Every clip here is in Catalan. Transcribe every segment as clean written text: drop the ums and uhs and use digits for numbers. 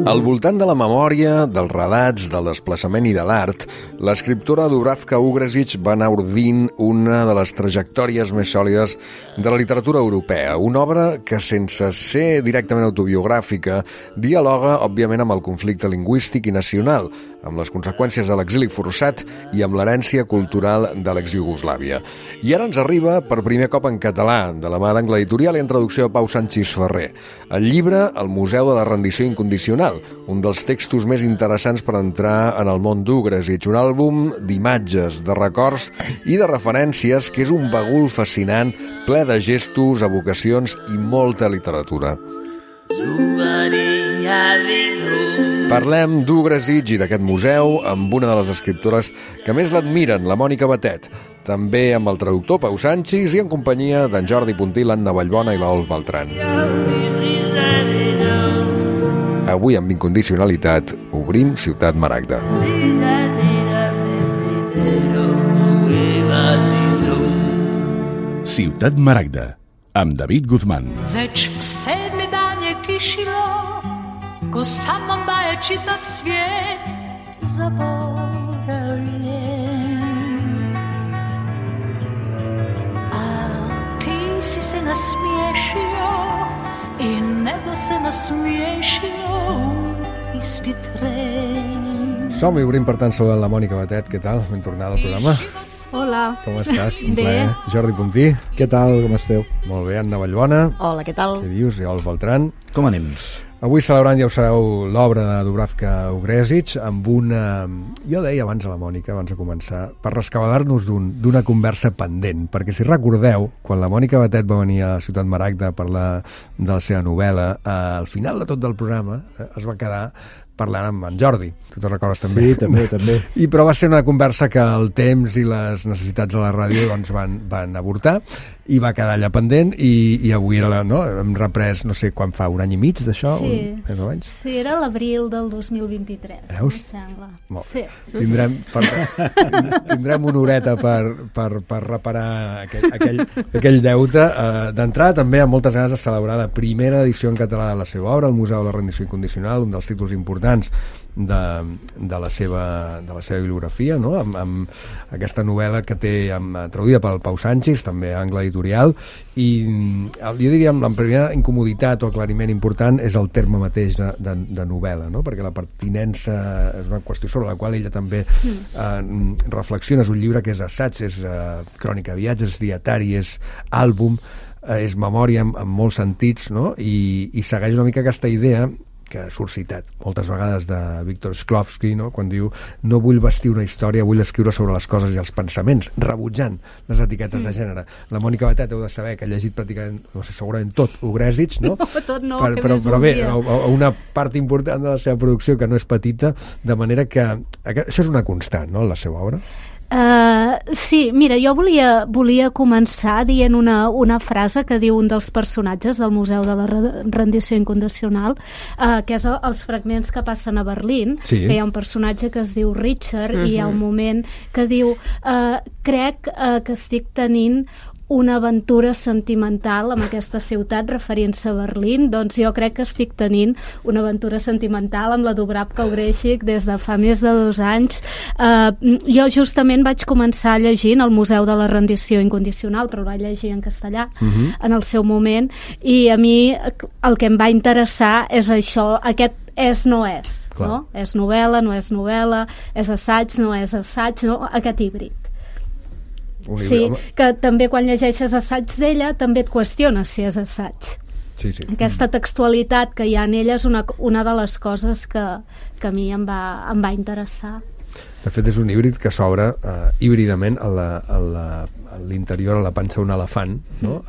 Al voltant de la memòria, dels relats, del desplaçament i de l'art, l'escriptora Dubravka Ugresic va anar ordint una de les trajectòries més sòlides de la literatura europea, una obra que, sense ser directament autobiogràfica, dialoga, òbviament, amb el conflicte lingüístic i nacional, amb les conseqüències de l'exili forçat i amb l'herència cultural de l'ex-Iugoslàvia. I ara ens arriba per primer cop en català, de la mà d'Angle Editorial i en traducció de Pau Sanchis Ferrer. El llibre El Museu de la Rendició Incondicional, un dels textos més interessants per entrar en el món d'Ugresic, un àlbum d'imatges, de records i de referències que és un bagul fascinant, ple de gestos, evocacions i molta literatura. Parlem d'Ugresic i d'aquest museu amb una de les escriptores que més l'admiren, la Mònica Batet, també amb el traductor Pau Sanchis i en companyia d'en Jordi Puntí, l'Anna Vallbona i l'Olf Beltran. Avui, amb incondicionalitat, obrim Ciutat Maragda. Ciutat Maragda, amb David Guzmán. Već 7. dan je kišilo, ko sa mnom daje čitav svijet zaboravljen. A ti si se nasmiješio i nebo se nasmiješilo u isti tren. Som-hi, obrim per tant saludant la Mònica Batet. Què tal? Ben tornada al programa. Hola. Com estàs? Un Bé. plaer. Jordi Puntí. Què tal, com esteu? Molt bé, Anna Vallbona. Hola, què tal? Què dius? I Olf Beltran. Com anem? Avui celebrant, ja ho sabeu, l'obra de Dubravka Ugresic amb una... Jo deia abans a la Mònica, abans de començar, per rescabalar-nos d'una conversa pendent, perquè si recordeu, quan la Mònica Batet va venir a Ciutat Maragda a parlar de la seva novel·la, al final de tot del programa es va quedar parlant amb en Jordi. Tu te'n recordes també? Sí, també. Però va ser una conversa que el temps i les necessitats de la ràdio doncs, van avortar i va quedar allà pendent i avui era hem reprès, no sé quan fa, un any i mig d'això? Sí, Més o menys? sí, era l'abril del 2023, Veus? em sembla. Molt. Sí. Tindrem una horeta per reparar aquell deute. D'entrada també amb moltes ganes de celebrar la primera edició en català de la seva obra, El Museu de la Rendició Incondicional, un dels títols importants de la seva bibliografia, no? Amb aquesta novel·la que té traduïda pel Pau Sanchis, també a Angle Editorial, i jo diria la primera incomoditat o aclariment important és el terme mateix de novel·la, no? Perquè la pertinença és una qüestió sobre la qual ella també reflexiona. És un llibre que és assaig, és crònica de viatges, és dietari, és àlbum, és memòria en molts sentits, no? I segueix una mica aquesta idea que ha suscitat moltes vegades de Viktor Shklovsky, no? Quan diu no vull vestir una història, vull escriure sobre les coses i els pensaments, rebutjant les etiquetes de gènere. La Mònica Batet heu de saber que ha llegit pràcticament, no sé, segurament tot Ugresic, no? No, tot no, què però més bé, voldria? una part important de la seva producció que no és petita, de manera que això és una constant, no?, en la seva obra. Sí, mira, jo volia començar dient una frase que diu un dels personatges del Museu de la Rendició Incondicional, que és els fragments que passen a Berlín, Sí. que hi ha un personatge que es diu Richard i hi ha un moment que diu crec que estic tenint una aventura sentimental amb aquesta ciutat, referint-se a Berlín. Doncs jo crec que estic tenint una aventura sentimental amb la Dubravka Ugresic des de fa més de 2 anys. Jo justament vaig començar llegint El Museu de la Rendició Incondicional, però el vaig llegir en castellà en el seu moment, i a mi el que em va interessar és això, aquest no és, Clar. no? És novel·la, no és novel·la, és assaig, no és assaig, no? Aquest híbrid. Sí, que també quan llegeixes assaig d'ella també et qüestiones si és assaig. Sí. Aquesta textualitat que hi ha en ella és una de les coses que a mi em va interessar. De fet, és un híbrid que s'obre híbridament a l'interior, a la panxa d'un elefant, no?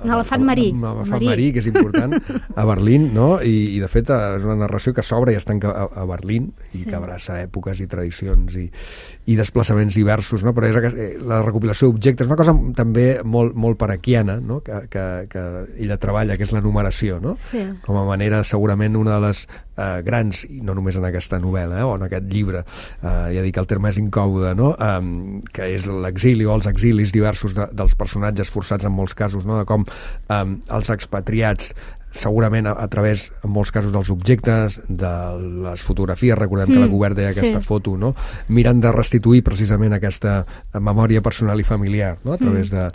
Un elefant marí. Un elefant marí, que és important, a Berlín, no? I de fet és una narració que s'obre i es tanca a Berlín i que abraça èpoques i tradicions i desplaçaments diversos, no? Però és la recopilació d'objectes, una cosa també molt paraquiana, no? Que ella treballa, que és la numeració, no? Sí. Com a manera, segurament, una de les grans, i no només en aquesta novel·la o en aquest llibre, ja dic, el terme és incòmode, no? Que és l'exili o els exilis diversos dels personatges forçats en molts casos, no? De com els expatriats segurament a través, en molts casos, dels objectes, de les fotografies, recordem que la Gubert deia aquesta foto, no? Miren de restituir precisament aquesta memòria personal i familiar, no? A través de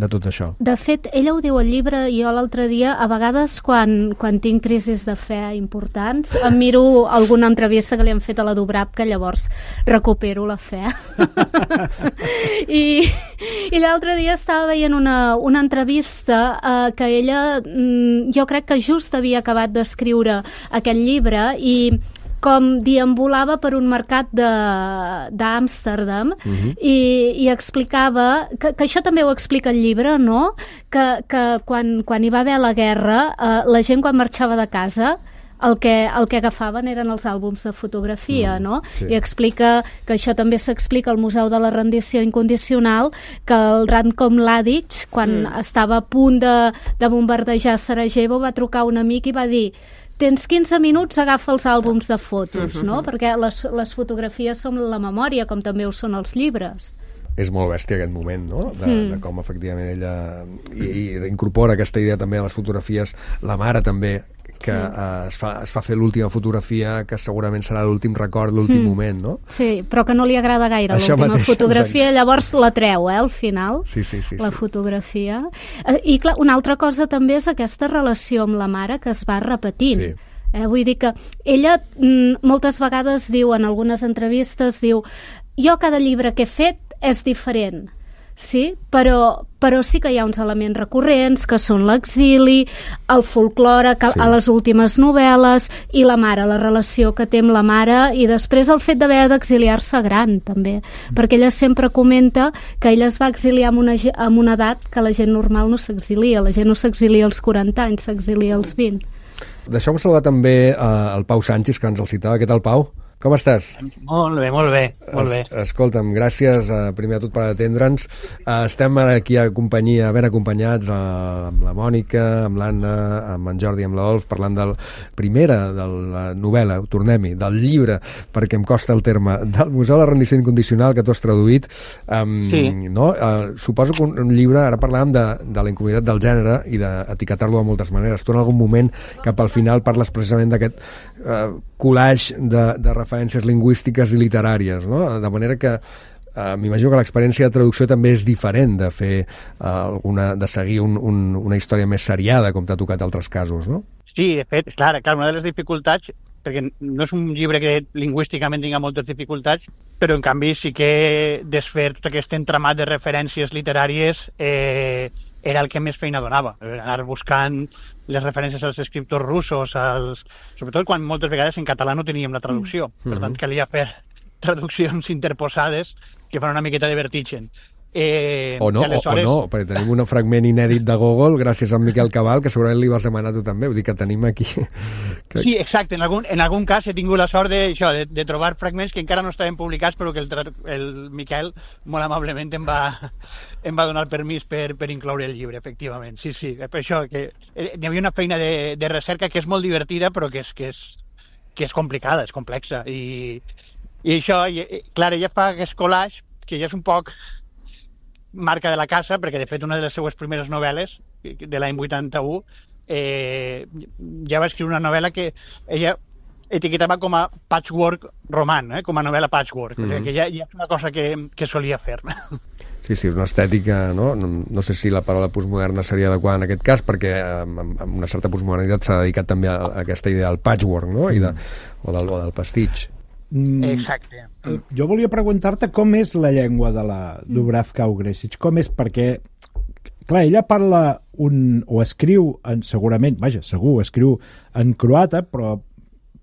tot això. De fet, ella ho diu al llibre, i jo l'altre dia, a vegades quan tinc crisis de fe importants, em miro alguna entrevista que li han fet a la Dubrap, que llavors recupero la fe. I l'altre dia estava veient una entrevista que ella, jo crec que just havia acabat d'escriure aquest llibre, i com deambulava per un mercat d'Amsterdam i explicava, que això també ho explica el llibre, no? Que quan hi va haver la guerra, la gent quan marxava de casa el que agafaven eren els àlbums de fotografia, no? Sí. I explica que això també s'explica al Museu de la Rendició Incondicional, que el Ratko Mladic, quan estava a punt de bombardejar Sarajevo, va trucar un amic i va dir: tens 15 minuts, agafa els àlbums de fotos, no? Perquè les fotografies són la memòria, com també ho són els llibres. És molt bèstia aquest moment, no? De com efectivament ella i incorpora aquesta idea també a les fotografies, la mare també, que es fa fer l'última fotografia, que segurament serà l'últim record, l'últim moment, no? Sí, però que no li agrada gaire això l'última mateix, fotografia, llavors la treu, al final, sí, la fotografia. I clar, una altra cosa també és aquesta relació amb la mare que es va repetint. Sí. Vull dir que ella moltes vegades diu, en algunes entrevistes, diu: jo cada llibre que he fet és diferent, sí? Però sí que hi ha uns elements recurrents, que són l'exili, el folklore, a les últimes novel·les, i la mare, la relació que té amb la mare, i després el fet d'haver d'exiliar-se gran, també. Perquè ella sempre comenta que ella es va exiliar amb una edat que la gent normal no s'exilia. La gent no s'exilia als 40 anys, s'exilia als 20. Deixeu-me saludar també el Pau Sanchis, que ens el citava. Què tal, Pau? Com estàs? Molt bé, molt bé. Escolta'm, gràcies primer de tot per atendre'ns. Estem aquí ben acompanyats amb la Mònica, amb l'Anna, amb en Jordi, amb l'Olf, parlant de la novel·la, tornem-hi, del llibre, perquè em costa el terme, del Museu de la Rendició Incondicional, que tu has traduït. No? Suposo que un llibre, ara parlàvem de la incomoditat del gènere i d'etiquetar-lo de moltes maneres. Tu en algun moment, cap al final, parles precisament d'aquest collage de referències lingüístiques i literàries, no? De manera que m'imagino que l'experiència de traducció també és diferent de fer de seguir una història més seriada, com t'ha tocat altres casos, no? Sí, de fet, clar, una de les dificultats, perquè no és un llibre que lingüísticament tinga moltes dificultats, però en canvi sí que desfer tot aquest entramat de referències literàries era el que més feina donava, anar buscant les referències als escriptors russos, sobretot quan moltes vegades en català no teníem la traducció, per tant calia fer traduccions interposades que fan una miqueta de vertigen. O no, perquè tenim un fragment inèdit de Gogol gràcies a Miquel Cabal, que segurament li vas demanar tu també, vull dir que tenim aquí... Sí, exacte, en algun cas he tingut la sort de trobar fragments que encara no estaven publicats, però que el Miquel molt amablement em va donar el permís per incloure el llibre, efectivament. Sí, per això que hi havia una feina de recerca que és molt divertida, però que és complicada, és complexa, i això, clar, ella fa aquest collage que ja és un poc marca de la casa, perquè de fet una de les seues primeres novel·les de l'any 81 ja va escriure una novel·la que ella etiquetava com a patchwork roman, com a novel·la patchwork, que ja és una cosa que solia fer. Sí, és una estètica, no? No sé si la paraula postmoderna seria adequada en aquest cas, perquè amb una certa postmodernitat s'ha dedicat també a aquesta idea del patchwork, no? O del pastitx. Exacte. Jo volia preguntar-te com és la llengua de la Dubravka Ugrešić, com és, perquè clar, ella parla o escriu segurament, segur, escriu en croata, però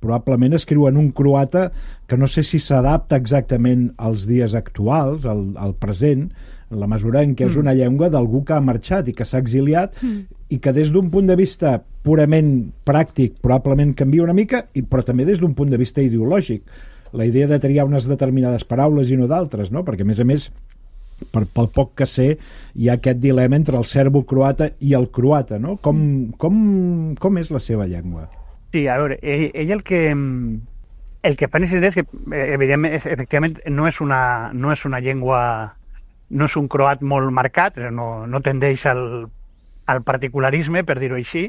probablement escriu en un croata que no sé si s'adapta exactament als dies actuals, al present, en la mesura en què és una llengua d'algú que ha marxat i que s'ha exiliat i que des d'un punt de vista purament pràctic probablement canvia una mica, però també des d'un punt de vista ideològic. La idea de triar unes determinades paraules i no d'altres, no? Perquè, a més, pel poc que sé, hi ha aquest dilema entre el serbo-croata i el croata, no? Com és la seva llengua? Sí, a veure, ell el que fa necessitat és que, evidentment, efectivament, no és una llengua, no és un croat molt marcat, no tendeix al particularisme, per dir-ho així,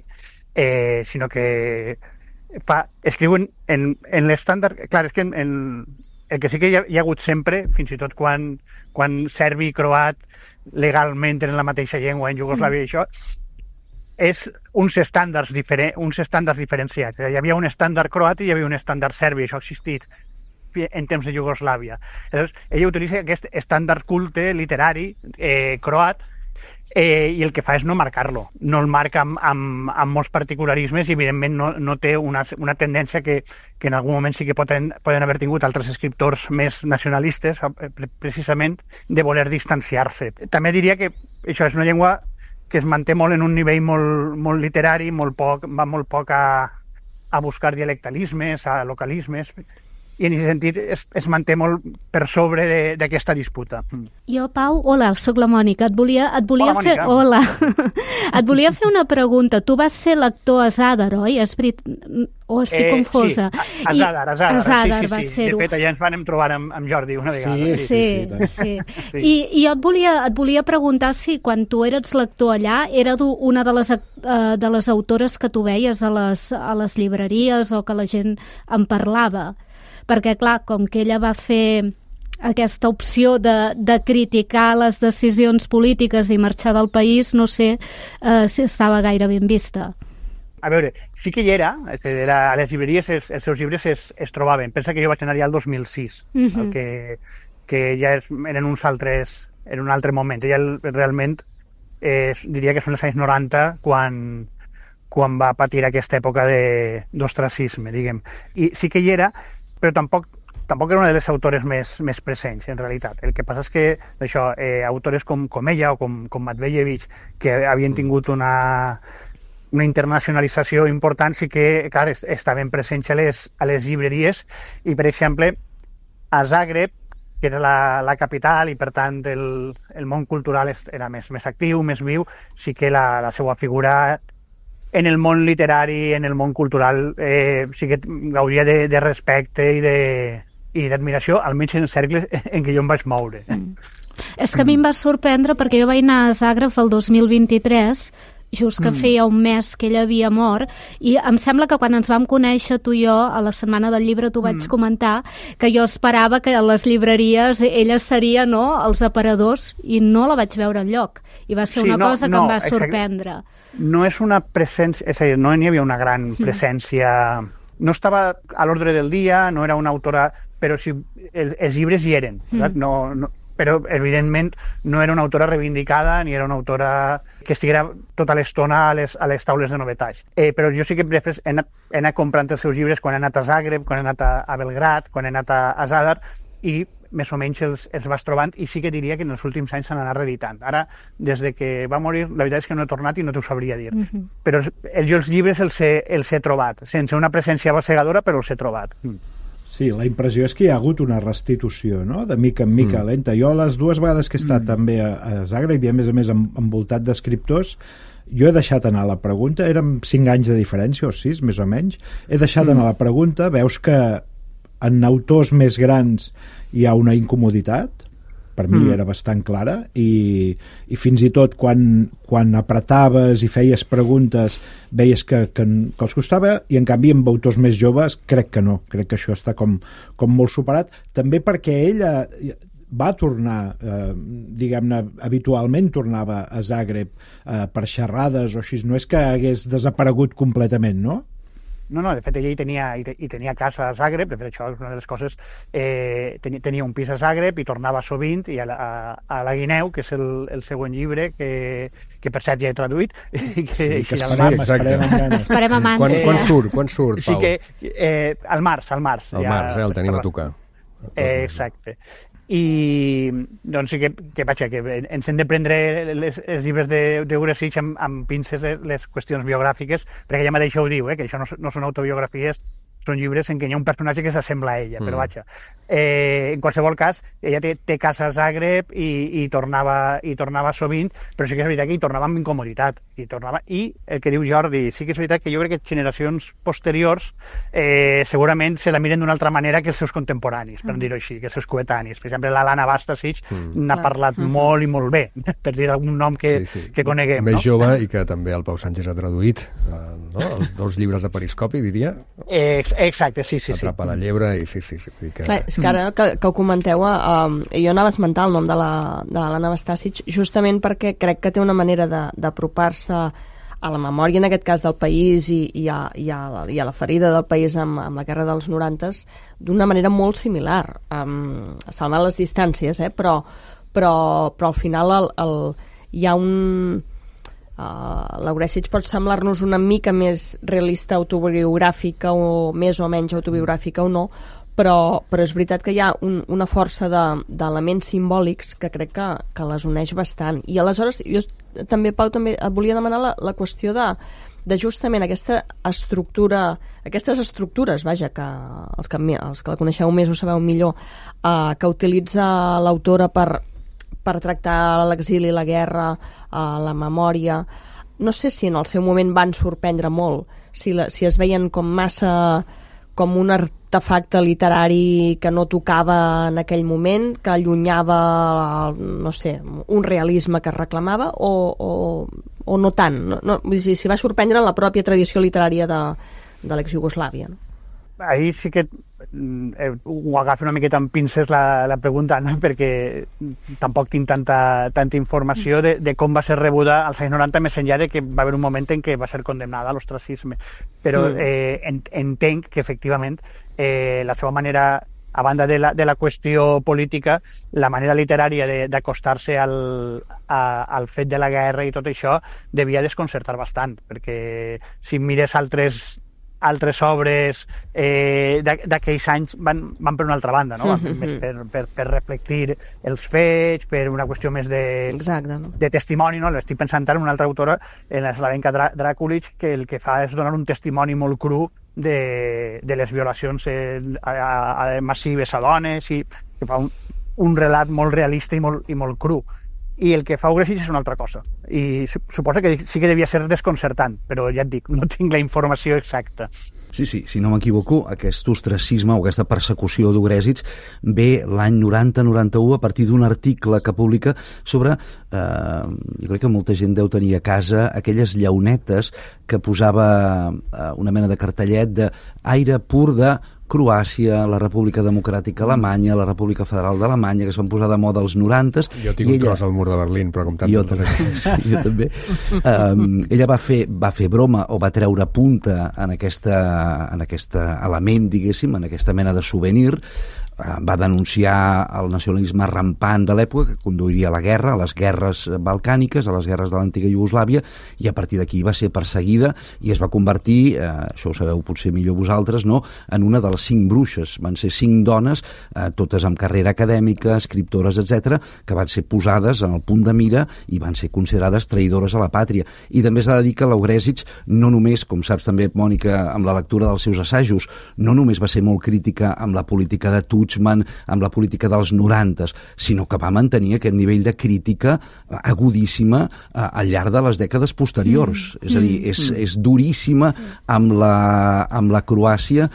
sinó que escriuen en l'estàndard... Clar, és que el que sí que hi ha hagut sempre, fins i tot quan serbi i croat legalment tenen la mateixa llengua en Iugoslàvia i això, és uns estàndards diferenciats. Hi havia un estàndard croat i hi havia un estàndard serbi, això ha existit en temps de Iugoslàvia. Llavors, ella utilitza aquest estàndard culte literari croat i el que fa és no marcar-lo. No el marca amb molts particularismes i, evidentment, no té una tendència que en algun moment sí que poden haver tingut altres escriptors més nacionalistes, precisament, de voler distanciar-se. També diria que això és una llengua que es manté molt en un nivell molt literari, va molt poc a buscar dialectalismes, a localismes, i en aquest sentit es manté molt per sobre d'aquesta disputa. Jo, Pau, hola, sóc la Mònica. Et volia Hola, fer... Mònica. Hola. Et volia fer una pregunta. Tu vas ser lector a Zadar, oi? O estic confosa? Sí, a Zadar. Zadar sí. va ser-ho. De fet, allà ens vam trobar amb Jordi una vegada. Sí. I jo et volia preguntar si quan tu eres lector allà era una de les autores que tu veies a les llibreries o que la gent en parlava. Perquè, clar, com que ella va fer aquesta opció de criticar les decisions polítiques i marxar del país, no sé si estava gaire ben vista. A veure, sí que hi era, a les llibreries els seus llibres es trobaven. Pensa que jo vaig anar ja el 2006, el que ja eren un altre moment. Ella realment diria que són els anys 90 quan va patir aquesta època d'ostracisme, diguem. I sí que hi era, però tampoc era una de les autores més presents, en realitat. El que passa és que autores com ella o com Matvejevic, que havien tingut una internacionalització important, sí que, clar, estaven presents a les llibreries i, per exemple, a Zagreb, que era la capital i, per tant, el món cultural era més actiu, més viu, sí que la seva figura en el món literari, en el món cultural, sí que gaudia de respecte i d'admiració, almenys en els cercles en què jo em vaig moure. És que a mi em va sorprendre perquè jo vaig anar a Zagreb el 2023, just que feia un mes que ella havia mort, i em sembla que quan ens vam conèixer tu i jo a la Setmana del Llibre t'ho vaig comentar, que jo esperava que a les llibreries ella seria, no?, els aparadors, i no la vaig veure enlloc, i va ser una cosa que em va sorprendre. No és una presència, és a dir, no n'hi havia una gran presència, no estava a l'ordre del dia, no era una autora, però sí, els llibres hi eren, però evidentment no era una autora reivindicada ni era una autora que estiguera tota l'estona a les taules de novetats. Però jo sí que després he anat comprant els seus llibres quan he anat a Zagreb, quan he anat a Belgrad, quan he anat a Zadar, i més o menys els vas trobant, i sí que diria que en els últims anys s'han anat reeditant. Ara, des de que va morir, la veritat és que no he tornat i no t'ho sabria dir. Però jo els llibres els he trobat, sense una presència bassegadora, però els he trobat. Sí, la impressió és que hi ha hagut una restitució, no?, de mica en mica, lenta. Jo les dues vegades que he estat també a Zagreb i a més envoltat d'escriptors, jo he deixat anar la pregunta, eren 5 anys de diferència o 6, més o menys, he deixat anar la pregunta, veus que en autors més grans hi ha una incomoditat, per mi era bastant clara, i fins i tot quan apretaves i feies preguntes veies que els costava, i en canvi amb autors més joves crec que no, crec que això està com molt superat, també perquè ella va tornar, diguem-ne, habitualment tornava a Zagreb per xerrades o així, no és que hagués desaparegut completament, no? No, de fet, ella hi tenia casa a Zagreb, de fet, això és una de les coses, tenia un pis a Zagreb i tornava sovint, i a la Guineu, que és el següent llibre, que per cert ja he traduït. Sí, que esperem amb ànsia. Quan surt, Pau? Sí que al març. Al març, el tenim a tocar. Exacte. I doncs sí que vaja, que ens hem de prendre els llibres d'Ugresic amb pinces les qüestions biogràfiques, perquè ella mateixa ho diu, que això no són autobiografies són llibres en què hi ha un personatge que s'assembla a ella, però vaja. En qualsevol cas, ella té casa a Zagreb i tornava sovint, però sí que és veritat que hi tornava amb incomoditat. I el que diu Jordi, sí que és veritat que jo crec que generacions posteriors segurament se la miren d'una altra manera que els seus contemporanis, per dir-ho així, que els seus coetanis. Per exemple, l'Alana Bastasic n'ha parlat molt i molt bé, per dir algun nom que coneguem. Més jove i que també el Pau Sánchez ha traduït, els 2 llibres de Periscopi, diria. Exacte, sí. Atrapa la llebre i sí. Clar, és que ara que ho comenteu, jo anava a esmentar el nom de l'Alana Bastasic justament perquè crec que té una manera d'apropar-se a la memòria, en aquest cas, del país i a la ferida del país amb la guerra dels 90s d'una manera molt similar, salvant les distàncies, però al final hi ha un... l'Aurèsic pot semblar-nos una mica més realista autobiogràfica o més o menys autobiogràfica o no, però és veritat que hi ha una força d'elements simbòlics que crec que les uneix bastant. I aleshores, jo també, Pau, també et volia demanar la qüestió de justament aquesta estructura, aquestes estructures, vaja, que els que la coneixeu més ho sabeu millor, que utilitza l'autora per tractar l'exili, la guerra, la memòria. No sé si en el seu moment van sorprendre molt, si es veien com massa com un artefacte literari que no tocava en aquell moment, que allunyava, no sé, un realisme que es reclamava, o no tant. No, vull dir, si va sorprendre la pròpia tradició literària de l'ex-Iugoslàvia, no? Ahí sí que ho agafo una miqueta amb pinces la pregunta, no? Perquè tampoc tinc tanta informació de com va ser rebuda als anys 90, més enllà de que va haver un moment en què va ser condemnada a l'ostracisme. Però entenc que, efectivament, la seva manera, a banda de la qüestió política, la manera literària d'acostar-se al fet de la guerra i tot això devia desconcertar bastant, perquè si mires altres obres d'aquells anys van per una altra banda, no? Per reflectir els fets, per una qüestió més de testimoni, no? Estic pensant ara en una altra autora, en la Slavenka Drakulic, que el que fa és donar un testimoni molt cru de les violacions massives a dones, i que fa un relat molt realista i molt cru. I el que fa Ugresic és una altra cosa. I suposo que sí que devia ser desconcertant, però ja et dic, no tinc la informació exacta. Sí, si no m'equivoco, aquest ostracisme o aquesta persecució d'Ugresic ve l'any 90-91 a partir d'un article que publica sobre, jo crec que molta gent deu tenir a casa, aquelles llaunetes que posava una mena de cartellet d'aire pur de Croàcia, la República Democràtica Alemanya, la República Federal d'Alemanya, que es van posar de moda als 90s. Jo tinc un tros al mur de Berlín, però com tant... Jo també. Ella va fer broma o va treure punta en aquest element, diguéssim, en aquesta mena de souvenir. Va denunciar el nacionalisme rampant de l'època, que conduiria a la guerra, a les guerres balcàniques, a les guerres de l'antiga Iugoslàvia, i a partir d'aquí va ser perseguida i es va convertir, això ho sabeu potser millor vosaltres, no?, en una de les 5 bruixes. Van ser 5 dones, totes amb carrera acadèmica, escriptores, etc., que van ser posades en el punt de mira i van ser considerades traïdores a la pàtria. I també s'ha de dir que l'Ugresic no només, com saps també, Mònica, amb la lectura dels seus assajos, no només va ser molt crítica amb la política de amb la política dels 90s, sinó que va mantenir aquest nivell de crítica agudíssima al llarg de les dècades posteriors. És a dir, és duríssima amb la Croàcia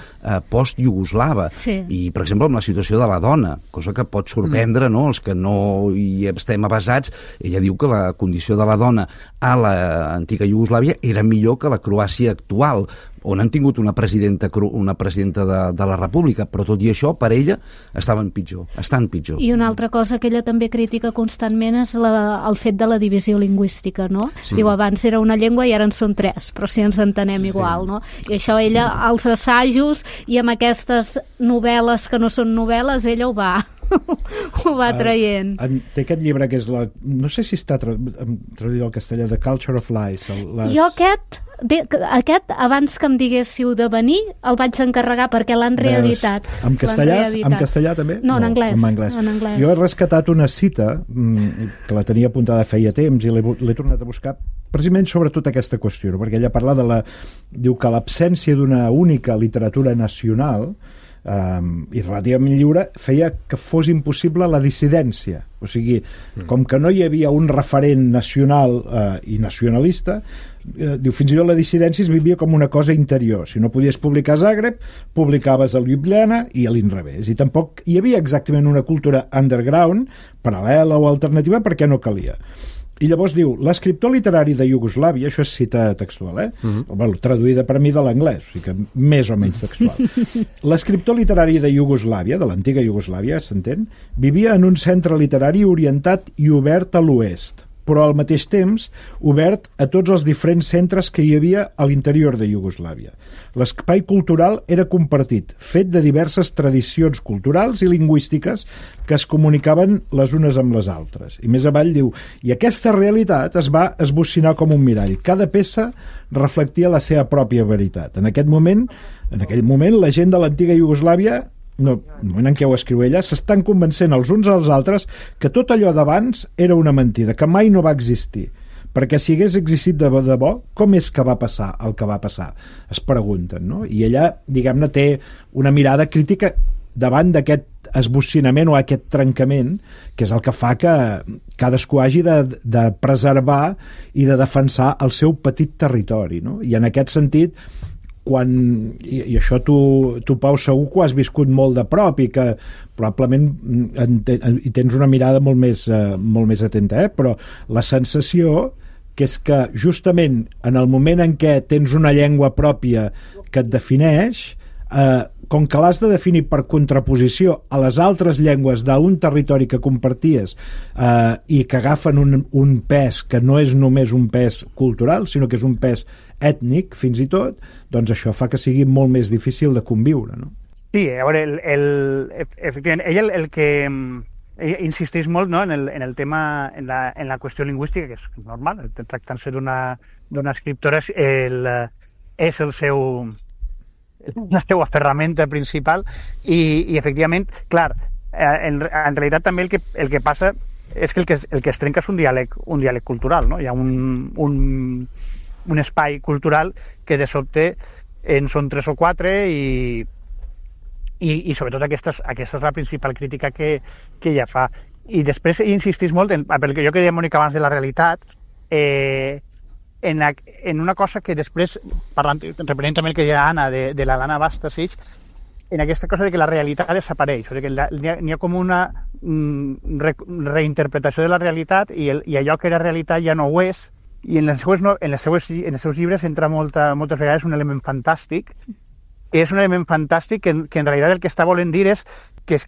post-iugoslava. Sí. I, per exemple, amb la situació de la dona, cosa que pot sorprendre, no?, els que no hi estem avasats. Ella diu que la condició de la dona a l'antiga Iugoslàvia era millor que la Croàcia actual, on han tingut una presidenta de la República, però tot i això, per ella, estan pitjor. I una altra cosa que ella també critica constantment és el fet de la divisió lingüística, no? Sí. Diu, abans era una llengua i ara en són 3, però si ens entenem igual, no? I això ella, als assajos i amb aquestes novel·les que no són novel·les, ella ho va ho va traient. Té aquest llibre que és no sé si està traduït al castellà, The Culture of Lies. Jo aquest, abans que em diguéssiu de venir, el vaig encarregar perquè l'han reeditat. En castellà també? No, en anglès. En anglès. Jo he rescatat una cita que la tenia apuntada feia temps i l'he tornat a buscar precisament sobretot aquesta qüestió, perquè ella parla diu que l'absència d'una única literatura nacional i relativament lliure feia que fos impossible la dissidència. O sigui, com que no hi havia un referent nacional i nacionalista, diu, fins i tot la dissidència es vivia com una cosa interior. Si no podies publicar a Zagreb, publicaves a Ljubljana i a l'inrevés. I tampoc hi havia exactament una cultura underground, paral·lela o alternativa, perquè no calia. I llavors diu, l'escriptor literari de Iugoslàvia, això és cita textual, bueno, traduïda per mi de l'anglès, o sigui que més o menys textual. L'escriptor literari de Iugoslàvia, de l'antiga Iugoslàvia, s'entén, vivia en un centre literari orientat i obert a l'oest, però al mateix temps obert a tots els diferents centres que hi havia a l'interior de Iugoslàvia. L'espai cultural era compartit, fet de diverses tradicions culturals i lingüístiques que es comunicaven les unes amb les altres. I més avall diu, i aquesta realitat es va esbocinar com un mirall. Cada peça reflectia la seva pròpia veritat. En aquell moment, la gent de l'antiga Iugoslàvia, no, el moment en què ho escriu ella, s'estan convencent els uns als altres que tot allò d'abans era una mentida, que mai no va existir. Perquè si hagués existit de debò, com és que va passar el que va passar? Es pregunten, no? I ella, diguem-ne, té una mirada crítica davant d'aquest esbocinament o aquest trencament, que és el que fa que cadascú hagi de preservar i de defensar el seu petit territori, no? I en aquest sentit, i això tu Pau segur que ho has viscut molt de prop i que probablement hi tens una mirada molt més atenta, però la sensació que és que justament en el moment en què tens una llengua pròpia que et defineix, com que l'has de definir per contraposició a les altres llengües d'un territori que comparties i que agafen un pes que no és només un pes cultural, sinó que és un pes ètnic, fins i tot, doncs això fa que sigui molt més difícil de conviure, no? Sí, a veure, efectivament, ell el que insisteix molt, no, en el tema, en la qüestió lingüística, que és normal, tractant-se d'una escriptora, és la seva ferramenta principal i efectivament, clar, en realitat també el que passa és que el que es trenca és un diàleg cultural, no? Hi ha un espai cultural que de sobte en són 3 o 4 i sobretot aquesta és la principal crítica que ella fa. I després ell insisteix molt pel que jo que deia, Mònica, abans de la realitat, en una cosa que després, reprenent també el que deia Anna de la Lana Bastasic, en aquesta cosa de que la realitat desapareix, o sigui que n'hi ha com una reinterpretació de la realitat i allò que era realitat ja no ho és, i en els seus llibres entra moltes vegades un element fantàstic, que és un element fantàstic que en realitat el que està volent dir és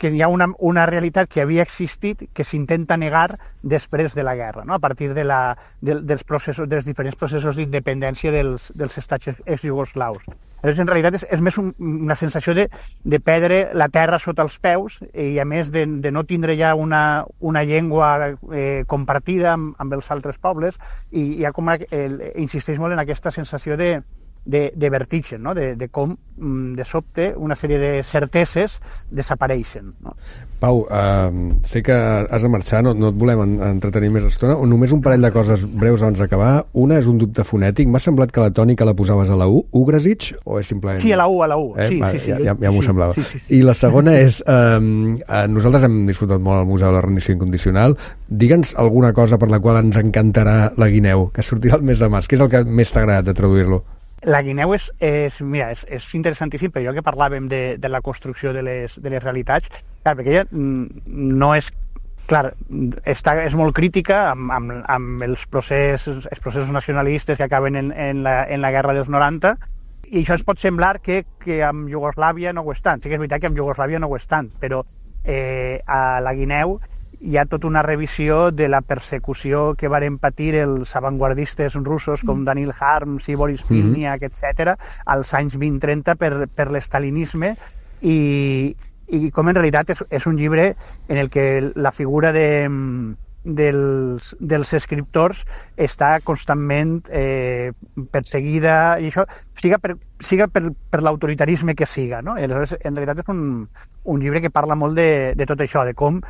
que hi ha una realitat que havia existit que s'intenta negar després de la guerra, no? A partir dels diferents processos d'independència dels estats ex-jugoslaus. Llavors, en realitat, és més una sensació de perdre la terra sota els peus i, a més, de no tindre ja una llengua compartida amb els altres pobles, i hi ha com insisteix molt en aquesta sensació de vertigen, no? De com, de sobte, una sèrie de certeses desapareixen, no? Pau, sé que has de marxar, no et volem entretenir més estona. Només un parell de coses breus abans d'acabar. Una és un dubte fonètic. M'ha semblat que la tònica la posaves a la U. Ugrasic, o és simplement... Sí, a la U. Sí. Ja m'ho semblava. Sí. I la segona és... nosaltres hem disfrutat molt al Museu de la Rendició Incondicional. Digue'ns alguna cosa per la qual ens encantarà la guineu, que sortirà el mes de març. Què és el que més t'ha agradat de traduir-lo? La guineu és interessantíssim, però jo que parlàvem de la construcció de les realitats, clar, perquè ella no és... Clar, és molt crítica amb els processos nacionalistes que acaben en la guerra dels 90, i això ens pot semblar que amb Iugoslàvia no ho és tant. Sí que és veritat que amb Iugoslàvia no ho és tant, però a la guineu hi ha tota una revisió de la persecució que varen patir els avantguardistes russos com Danil Harms i Boris Pilniak, etc., als anys 20-30 per l'estalinisme, i i com en realitat és un llibre en el que la figura dels escriptors està constantment perseguida, i això siga per l'autoritarisme que siga, no? Aleshores, en realitat és un llibre que parla molt de tot això, de com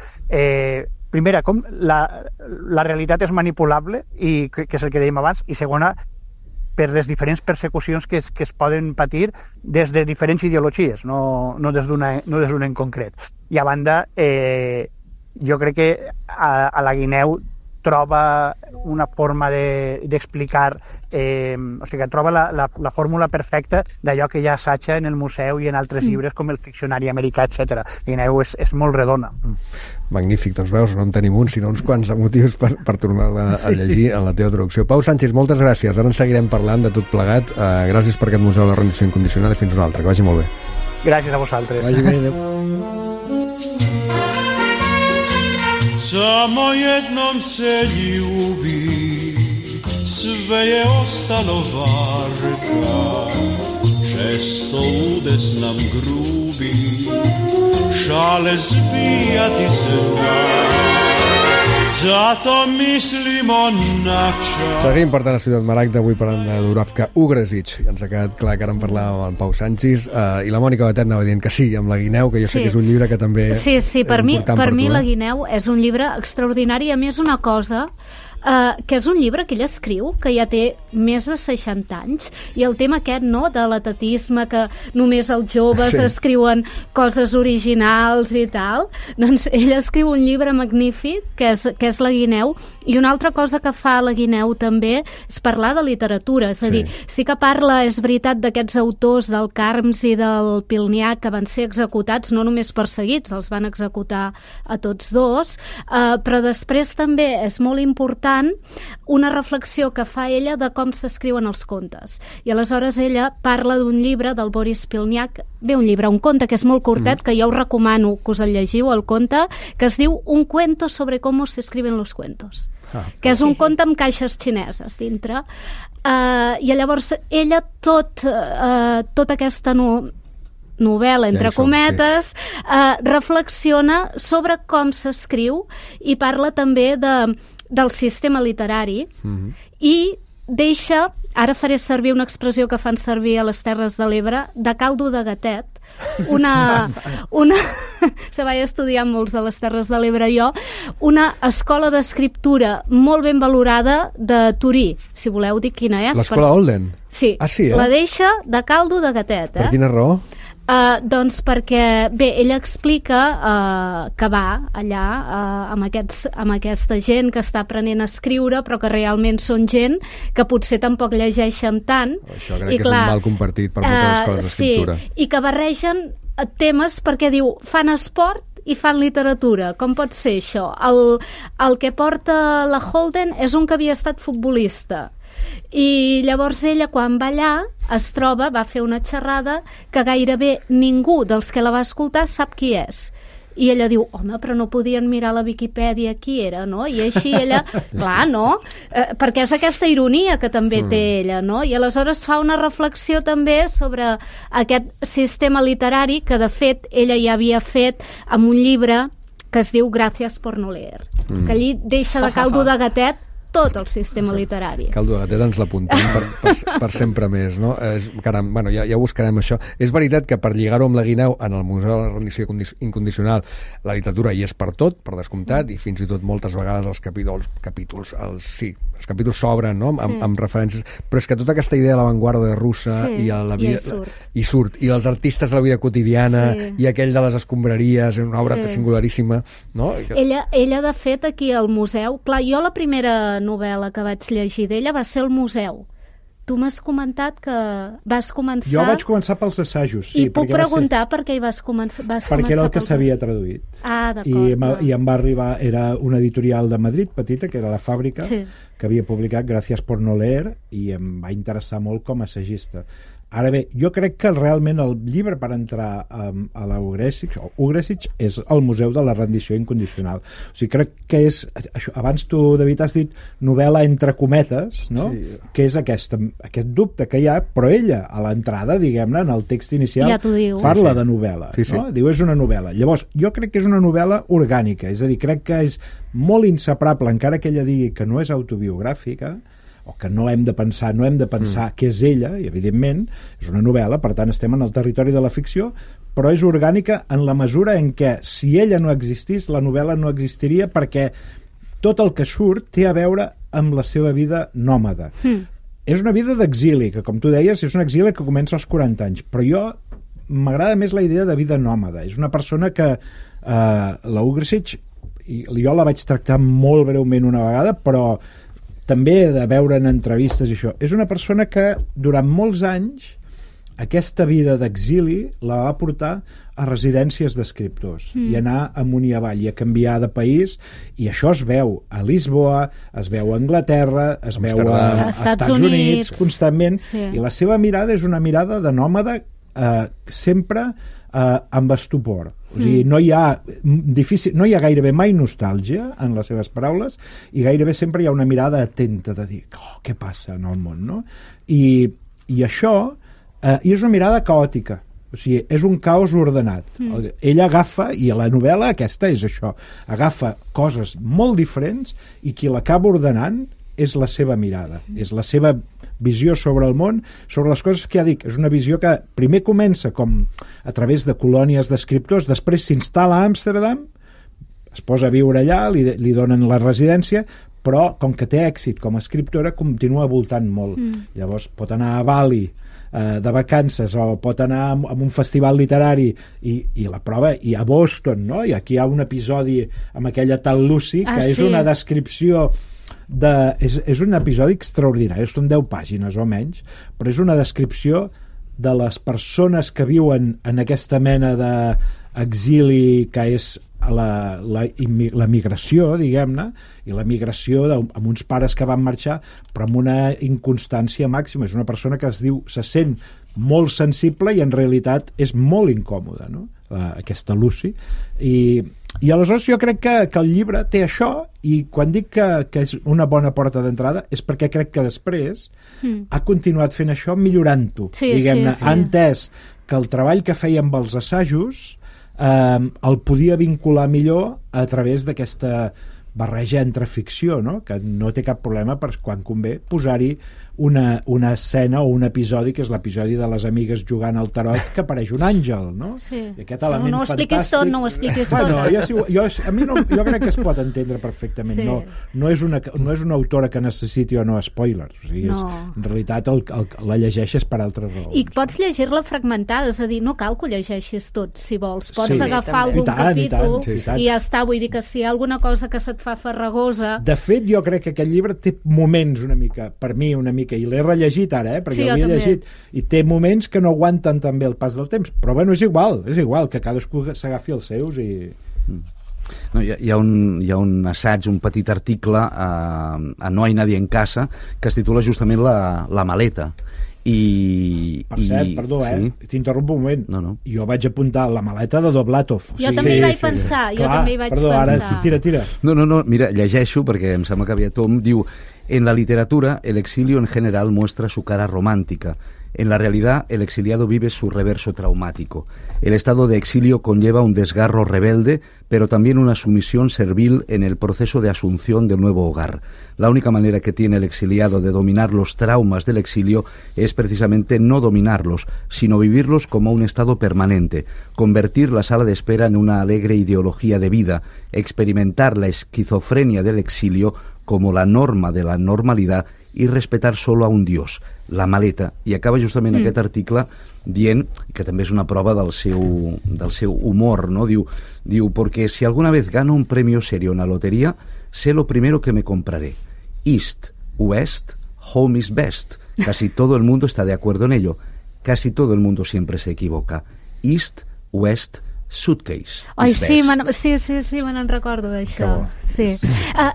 primera, com la realitat és manipulable, i que és el que dèiem abans, i segona, per les diferents persecucions que es poden patir des de diferents ideologies, no des d'una en concret. I a banda, jo crec que a la Guineu troba una forma d'explicar, o sigui, troba la fórmula perfecta d'allò que ja assaja en el museu i en altres llibres com el Ficcionari americà, etc. Guineu és molt redona. Magnífic, doncs veus, no en tenim un, sinó uns quants motius per tornar-la a llegir en la teva traducció. Pau Sánchez, moltes gràcies. Ara en seguirem parlant de tot plegat. Gràcies per aquest Museu de la Rendició Incondicional i fins una altra. Que vagi molt bé. Gràcies a vosaltres. Vagi bé, adéu. Samo jednom se ljubi, sve je ostalo varka, često udes nam grubi, šale zbijati zna, zato mislimo na čas. Seguim, per tant, a Ciutat Maragda, avui parlant de Dubravka Ugresic. Ens ha quedat clar que ara en parlàvem amb en Pau Sánchez, i la Mònica Batet anava dient que sí, amb la Guineu, que jo sé que és un llibre que també sí, per mi tu, la Guineu és un llibre extraordinari. A més, una cosa, que és un llibre que ell escriu, que ja té més de 60 anys, i el tema aquest, no?, de l'atatisme, que només els joves escriuen coses originals i tal, doncs ell escriu un llibre magnífic, que és la Guineu, i una altra cosa que fa la Guineu també és parlar de literatura, és a dir, sí que parla, és veritat, d'aquests autors del Carms i del Pilniak que van ser executats, no només perseguits, els van executar a tots dos, però després també és molt important una reflexió que fa ella de com s'escriuen els contes. I aleshores ella parla d'un llibre del Boris Pilniak, un conte que és molt curtet, que jo us recomano que us el llegiu, el conte, que es diu Un cuento sobre cómo se escriben los cuentos, que és un conte amb caixes xineses dintre. I llavors ella tota aquesta novel·la, entre cometes, reflexiona sobre com s'escriu i parla també del sistema literari i deixa, ara faré servir una expressió que fan servir a les Terres de l'Ebre, de caldo de gatet, se vaig estudiar molts de les Terres de l'Ebre jo, una escola d'escriptura molt ben valorada de Torí, si voleu dir quina és. L'escola Olden? Sí, la deixa de caldo de gatet. Per quina raó? Doncs perquè, bé, ella explica que va allà amb aquesta gent que està aprenent a escriure, però que realment són gent que potser tampoc llegeixen tant. Això crec que és un mal compartit per moltes escoles d'escriptura. Sí, i que barregen temes perquè diu, fan esport i fan literatura. Com pot ser això? El que porta la Holden és un que havia estat futbolista. I llavors ella, quan va allà, va fer una xerrada que gairebé ningú dels que la va escoltar sap qui és. I ella diu, home, però no podien mirar la Viquipèdia qui era, no? I així ella, clar, no? Perquè és aquesta ironia que també té ella, no? I aleshores fa una reflexió també sobre aquest sistema literari que, de fet, ella ja havia fet amb un llibre que es diu Gràcies por no leer, que allí deixa de caldo de gatet tot el sistema literari. Caldo de gatet ens l'apuntem per sempre més, no? Caram, bueno, ja ho buscarem això. És veritat que per lligar-ho amb la Guineu en el Museu de la Rendició Incondicional la literatura hi és per tot, per descomptat, i fins i tot moltes vegades els capítols s'obren, no?, amb referències, però és que tota aquesta idea de l'avantguarda russa i la vida i surt, i els artistes de la vida quotidiana i aquell de les escombraries, una obra singularíssima, no? Ella, de fet, aquí al museu, clar, jo la primera novel·la que vaig llegir d'ella va ser El museu. Tu m'has comentat que vas començar... Jo vaig començar pels assajos, sí. I puc preguntar per què hi vas començar? Perquè era el que s'havia traduït. Ah, d'acord. I em va arribar, era una editorial de Madrid, petita, que era La Fàbrica, que havia publicat Gràcies por no leer, i em va interessar molt com a assagista. Ara bé, jo crec que realment el llibre per entrar a la Ugresich és el Museu de la Rendició Incondicional. O sigui, crec que és això, abans tu, David, has dit novel·la entre cometes, no? Sí. Que és aquest dubte que hi ha, però ella, a l'entrada, diguem-ne, en el text inicial, ja parla de novel·la. Sí, sí. No? Diu, és una novel·la. Llavors, jo crec que és una novel·la orgànica, és a dir, crec que és molt inseparable, encara que ella digui que no és autobiogràfica, o que no hem de pensar què és ella, i evidentment és una novel·la, per tant estem en el territori de la ficció, però és orgànica en la mesura en què si ella no existís, la novel·la no existiria, perquè tot el que surt té a veure amb la seva vida nòmada. És una vida d'exili, que com tu deies és un exili que comença als 40 anys, però jo m'agrada més la idea de vida nòmada. És una persona que la Ugresich, jo la vaig tractar molt breument una vegada, però també de veure en entrevistes i això, és una persona que durant molts anys aquesta vida d'exili la va portar a residències d'escriptors i anar amunt i avall i a canviar de país, i això es veu a Lisboa, es veu a Anglaterra, es veu a Estats Units constantment, i la seva mirada és una mirada de nòmada sempre amb estupor. O sigui, no hi ha gairebé mai nostàlgia en les seves paraules, i gairebé sempre hi ha una mirada atenta de dir, què passa en el món, no? I això és una mirada caòtica, o sigui, és un caos ordenat. Ella agafa, i a la novel·la aquesta és això, agafa coses molt diferents i qui l'acaba ordenant és la seva mirada, és la seva visió sobre el món, sobre les coses que ja dic. És una visió que primer comença com a través de colònies d'escriptors, després s'instal·la a Amsterdam, es posa a viure allà, li donen la residència, però com que té èxit com a escriptora continua voltant molt. Llavors pot anar a Bali de vacances, o pot anar a un festival literari, i la prova, i a Boston, no? I aquí hi ha un episodi amb aquella tal Lucy, que és una descripció és un episodi extraordinari, són 10 pàgines o menys, però és una descripció de les persones que viuen en aquesta mena d'exili que és la migració, diguem-ne, i la migració amb uns pares que van marxar, però amb una inconstància màxima. És una persona que se sent molt sensible i en realitat és molt incòmoda, no? Aquesta Lucy. I aleshores jo crec que el llibre té això, i quan dic que és una bona porta d'entrada és perquè crec que després ha continuat fent això millorant-ho, diguem-ne. Ha entès que el treball que feia amb els assajos el podia vincular millor a través d'aquesta barreja entre ficció, no? Que no té cap problema per quan convé posar-hi una escena o un episodi, que és l'episodi de les amigues jugant al tarot, que apareix un àngel, no? Sí. I aquest element no ho expliquis tot, no ho expliquis tot. Jo crec que es pot entendre perfectament. Sí. No és una autora que necessiti o no spoilers. O sigui, en realitat la llegeixes per altres raons. I pots llegir-la fragmentada, és a dir, no cal que ho llegeixis tot, si vols. Pots agafar algun capítol i ja està. Vull dir que si hi ha alguna cosa que se't fa farragosa... De fet, jo crec que aquest llibre té moments una mica, per mi una mica, i l'he rellegit ara, perquè l'havia llegit, i té moments que no aguanten tan bé el pas del temps, però bueno, és igual, que cadascú s'agafi els seus i... No, hi ha un assaig, un petit article a No hay nadie en casa, que es titula justament La maleta. Per cert, perdó, t'interrompo un moment. No. Jo vaig apuntar La maleta de Doblatov. Jo també hi vaig pensar. Ara, tira. No, mira, llegeixo perquè em sembla que havia Tom, diu: en la literatura, el exilio en general muestra su cara romántica. En la realidad, el exiliado vive su reverso traumático. El estado de exilio conlleva un desgarro rebelde, pero también una sumisión servil en el proceso de asunción del nuevo hogar. La única manera que tiene el exiliado de dominar los traumas del exilio es precisamente no dominarlos, sino vivirlos como un estado permanente, convertir la sala de espera en una alegre ideología de vida, experimentar la esquizofrenia del exilio como la norma de la normalidad i respetar solo a un dios, la maleta. I acaba justament aquest article dient, que també és una prova del seu humor, ¿no? Diu, porque si alguna vez gano un premio serio en la lotería, sé lo primero que me compraré. East, West, home is best. Casi todo el mundo está de acuerdo en ello. Casi todo el mundo siempre se equivoca. East, West, Suitcase. Ai, is sí, best. sí, me n'en recordo d'això. Sí.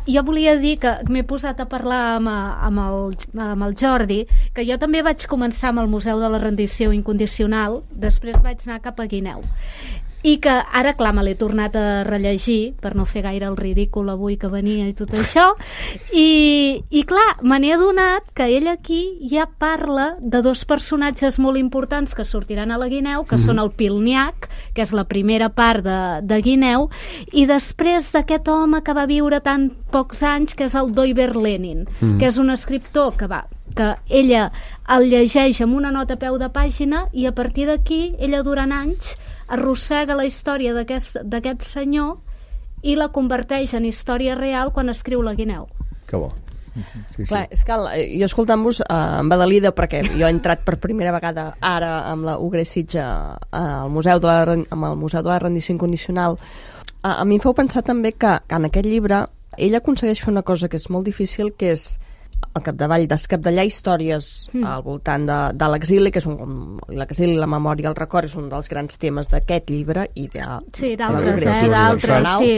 Jo volia dir que m'he posat a parlar amb el Jordi, que jo també vaig començar amb el Museu de la Rendició Incondicional, després vaig anar cap a Guineu. I que ara, clar, me l'he tornat a rellegir per no fer gaire el ridícul avui que venia i tot això, i clar, me n'he adonat que ell aquí ja parla de dos personatges molt importants que sortiran a la Guineu, que són el Pilniak, que és la primera part de Guineu, i després d'aquest home que va viure tan pocs anys, que és el Doiber Lenin, que és un escriptor que ella el llegeix amb una nota a peu de pàgina, i a partir d'aquí ella durant anys arrossega la història d'aquest senyor i la converteix en història real quan escriu la Guineu. Que bo. Sí, clar, és que jo escoltant-vos em badalida, perquè jo he entrat per primera vegada ara amb la Ugre Sitja amb el Museu de la Rendició Incondicional. A mi em feu pensar també que en aquest llibre ell aconsegueix fer una cosa que és molt difícil, que és al capdavall descapdallar històries al voltant de l'exili, que és l'exili, la memòria i el record és un dels grans temes d'aquest llibre i d'altres,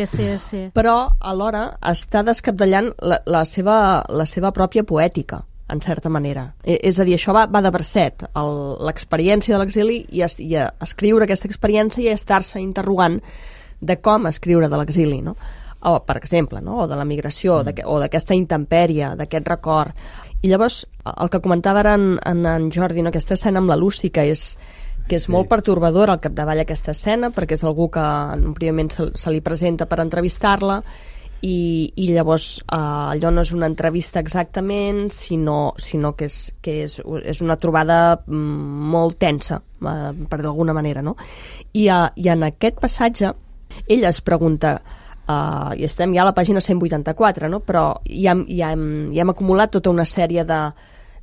sí. Però alhora està descapdallant la seva pròpia poètica, en certa manera. És a dir, això va de verset, l'experiència de l'exili i escriure aquesta experiència i estar-se interrogant de com escriure de l'exili, no? O, per exemple, no? O de la migració, o d'aquesta intempèrie, d'aquest record. I llavors, el que comentava ara en Jordi, no? Aquesta escena amb la Lucy, que és molt pertorbadora al capdavall aquesta escena, perquè és algú que en un primer moment se li presenta per entrevistar-la, i llavors allò no és una entrevista exactament, sinó que és una trobada molt tensa, per d'alguna manera, no? I en aquest passatge ella es pregunta, i estem ja a la pàgina 184, no? Però ja hem acumulat tota una sèrie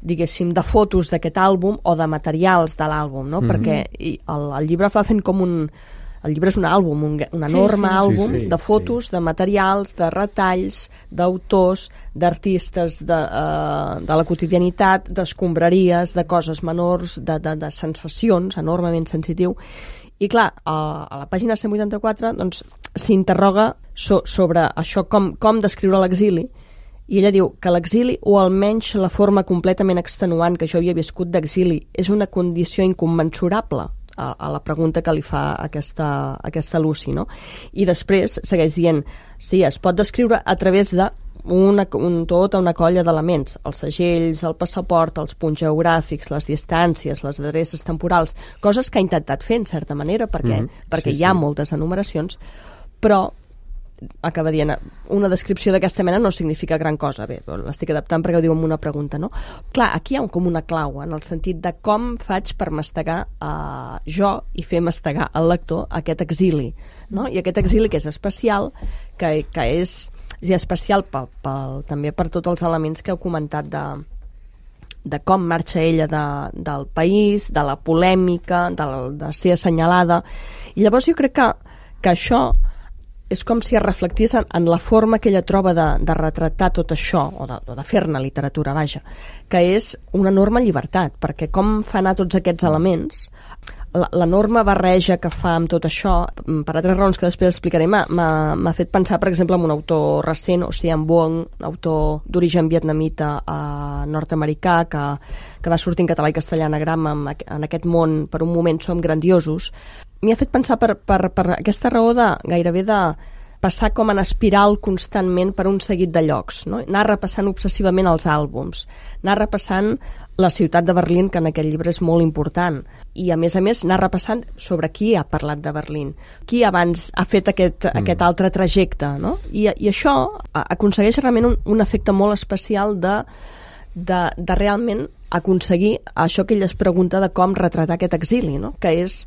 diguéssim, de fotos d'aquest àlbum o de materials de l'àlbum, no? Perquè el llibre fa fent com el llibre és un àlbum, un enorme àlbum de fotos, de materials, de retalls, d'autors, d'artistes, de la quotidianitat, d'escombraries, de coses menors, de sensacions, enormement sensitiu. I clar, a la pàgina 184 doncs, s'interroga sobre això, com descriure l'exili, i ella diu que l'exili, o almenys la forma completament extenuant que jo havia viscut d'exili, és una condició incommensurable a la pregunta que li fa aquesta Lucy, no? I després segueix dient, sí, es pot descriure a través de tota una colla d'elements, els segells, el passaport, els punts geogràfics, les distàncies, les adreces temporals, coses que ha intentat fer en certa manera, perquè hi ha moltes enumeracions, però acaba dient, una descripció d'aquesta mena no significa gran cosa. Bé, l'estic adaptant perquè ho diu amb una pregunta, no? Clar, aquí hi ha com una clau, en el sentit de com faig per mastegar jo i fer mastegar al lector aquest exili, no? I aquest exili que és especial, que és especial també per tots els elements que heu comentat de com marxa ella del país, de la polèmica, de ser assenyalada. I llavors jo crec que això és com si es reflectís en la forma que ella troba de retratar tot això, o de fer-ne literatura, vaja, que és una enorme llibertat, perquè com fa anar tots aquests elements, l'enorme barreja que fa amb tot això, per altres raons que després explicaré, m'ha fet pensar, per exemple, en un autor recent, Ocean Vuong, autor d'origen vietnamita nord-americà, que va sortir en català i castellà anagrama en aquest món, per un moment som grandiosos. M'hi ha fet pensar per aquesta raó gairebé de passar com en espiral constantment per un seguit de llocs, no? Anar repassant obsessivament els àlbums, anar repassant la ciutat de Berlín, que en aquest llibre és molt important, i a més anar repassant sobre qui ha parlat de Berlín, qui abans ha fet aquest altre trajecte, no? I això aconsegueix realment un efecte molt especial de realment aconseguir això que ella es pregunta de com retratar aquest exili, no? Que és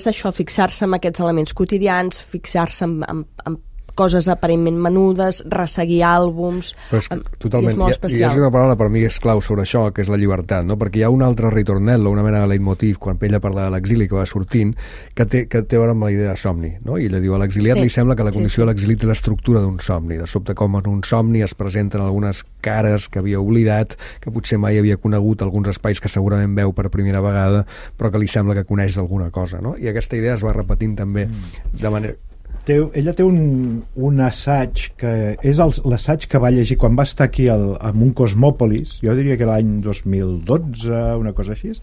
això, fixar-se en aquests elements quotidians, fixar-se en coses aparentment menudes, resseguir àlbums... Pues, totalment. És molt I especial. és una paraula per mi és clau sobre això, que és la llibertat, no? Perquè hi ha un altre ritornello, una mena de leitmotiv, quan ella parla de l'exili que va sortint, que té a veure amb la idea de somni, no? I ella diu, a l'exiliat li sembla que la condició de l'exili té l'estructura d'un somni, de sobte com en un somni es presenten algunes cares que havia oblidat, que potser mai havia conegut, alguns espais que segurament veu per primera vegada, però que li sembla que coneix alguna cosa, no? I aquesta idea es va repetint també de manera... Ella té un assaig que és l'assaig que va llegir quan va estar aquí en un Cosmòpolis, jo diria que l'any 2012, una cosa així,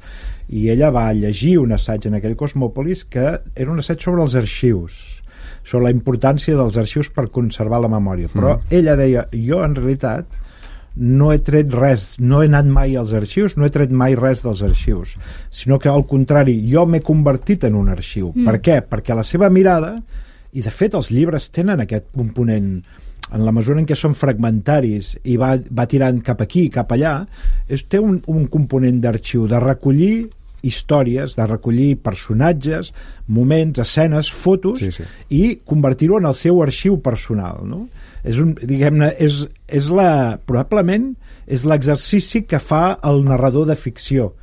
i ella va llegir un assaig en aquell Cosmòpolis que era un assaig sobre els arxius, sobre la importància dels arxius per conservar la memòria, però ella deia, jo en realitat no he tret res, no he anat mai als arxius, no he tret mai res dels arxius, sinó que al contrari, jo m'he convertit en un arxiu. Per què? Perquè la seva mirada, i de fet els llibres tenen aquest component, en la mesura en què són fragmentaris i va tirant cap aquí, cap allà, té un component d'arxiu, de recollir històries, de recollir personatges, moments, escenes, fotos, i convertir-ho en el seu arxiu personal, no? Diguem-ne, probablement és l'exercici que fa el narrador de ficció.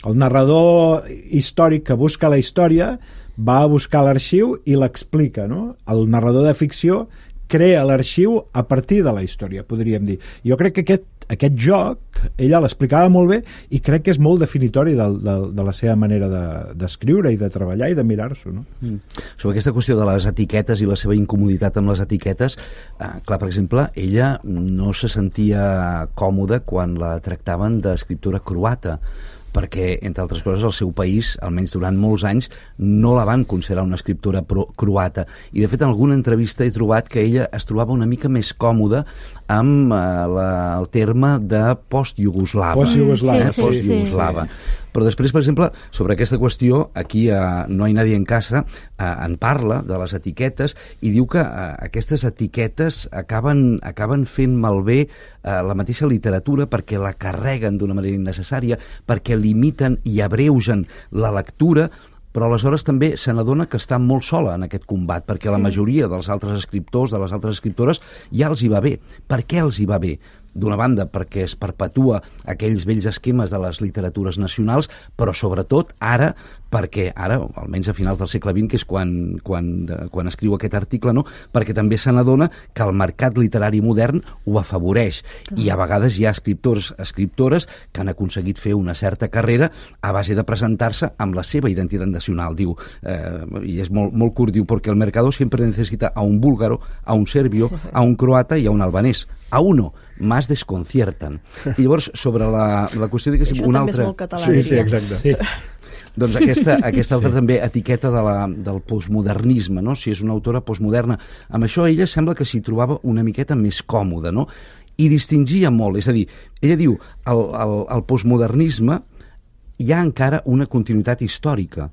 El narrador històric que busca la història va a buscar l'arxiu i l'explica, no? El narrador de ficció crea l'arxiu a partir de la història, podríem dir. Jo crec que aquest joc, ella l'explicava molt bé i crec que és molt definitori de la seva manera d'escriure i de treballar i de mirar-s'ho, no? Sobre aquesta qüestió de les etiquetes i la seva incomoditat amb les etiquetes, clar, per exemple, ella no se sentia còmoda quan la tractaven d'escriptora croata, perquè, entre altres coses, el seu país, almenys durant molts anys, no la van considerar una escriptora croata. I, de fet, en alguna entrevista he trobat que ella es trobava una mica més còmoda amb el terme de post-iugoslava. Post-iugoslava. Però després, per exemple, sobre aquesta qüestió, aquí a No hay nadie en casa en parla de les etiquetes i diu que aquestes etiquetes acaben fent malbé la mateixa literatura perquè la carreguen d'una manera innecessària, perquè limiten i abreugen la lectura, però aleshores també se n'adona que està molt sola en aquest combat, perquè la majoria dels altres escriptors, de les altres escriptores, ja els hi va bé. Per què els hi va bé? D'una banda, perquè es perpetua aquells vells esquemes de les literatures nacionals, però sobretot ara, perquè ara, almenys a finals del segle XX, que és quan escriu aquest article, no? Perquè també se n'adona que el mercat literari modern ho afavoreix. I a vegades hi ha escriptores que han aconseguit fer una certa carrera a base de presentar-se amb la seva identitat nacional. Diu, i és molt curt, diu, perquè el mercado siempre necesita a un búlgaro, a un serbio, a un croata i a un albanès. A uno más desconciertan. I llavors, sobre la qüestió de que això també és molt català. Sí, exacte. Sí. Doncs aquesta altra també etiqueta del postmodernisme, no? Si és una autora postmoderna. Amb això ella sembla que s'hi trobava una miqueta més còmoda, no? I distingia molt. És a dir, ella diu, el postmodernisme hi ha encara una continuïtat històrica,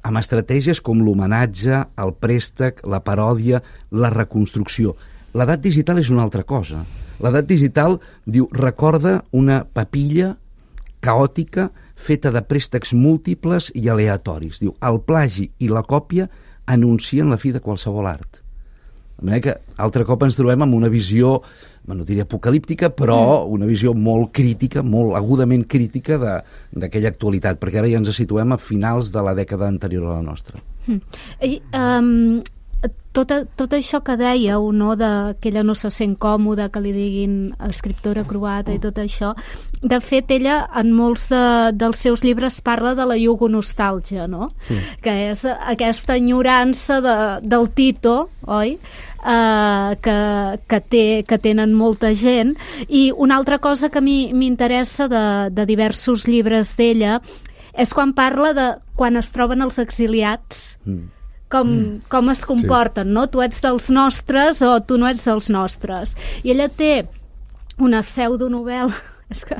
amb estratègies com l'homenatge, el préstec, la paròdia, la reconstrucció. L'edat digital és una altra cosa. L'edat digital, diu, recorda una papilla caòtica feta de préstecs múltiples i aleatoris. Diu, el plagi i la còpia anuncien la fi de qualsevol art. De manera que, altre cop ens trobem amb una visió, no diria apocalíptica, però una visió molt crítica, molt agudament crítica d'aquella actualitat, perquè ara ja ens situem a finals de la dècada anterior a la nostra. Tot això que dèieu, no, que ella no se sent còmoda, que li diguin escriptora croata i tot això, de fet ella en molts dels seus llibres parla de la iugonostàlgia, no? Que és aquesta enyorança del Tito, oi? Que tenen molta gent. I una altra cosa que a mi m'interessa de diversos llibres d'ella és quan parla de quan es troben els exiliats, com es comporten, no? Tu ets dels nostres o tu no ets dels nostres. I ella té una pseudonovel·la, és que,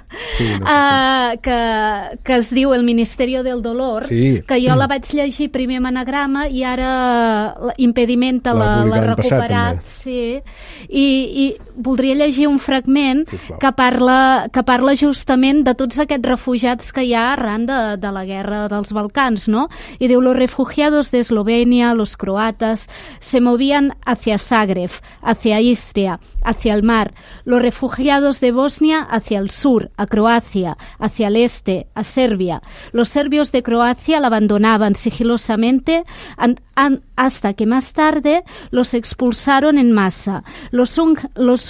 que es diu El Ministerio del Dolor, que jo la vaig llegir primer en anagrama i ara Impedimenta l'ha recuperat. I voldria llegir un fragment que parla justament de tots aquests refugiats que hi ha arran de la guerra dels Balcans, no? I diu, los refugiados de Eslovenia, los croatas, se movían hacia Zagreb, hacia Istria, hacia el mar. Los refugiados de Bosnia hacia el sur, a Croacia, hacia el este, a Serbia. Los serbios de Croacia la abandonaban sigilosamente hasta que más tarde los expulsaron en masa. Los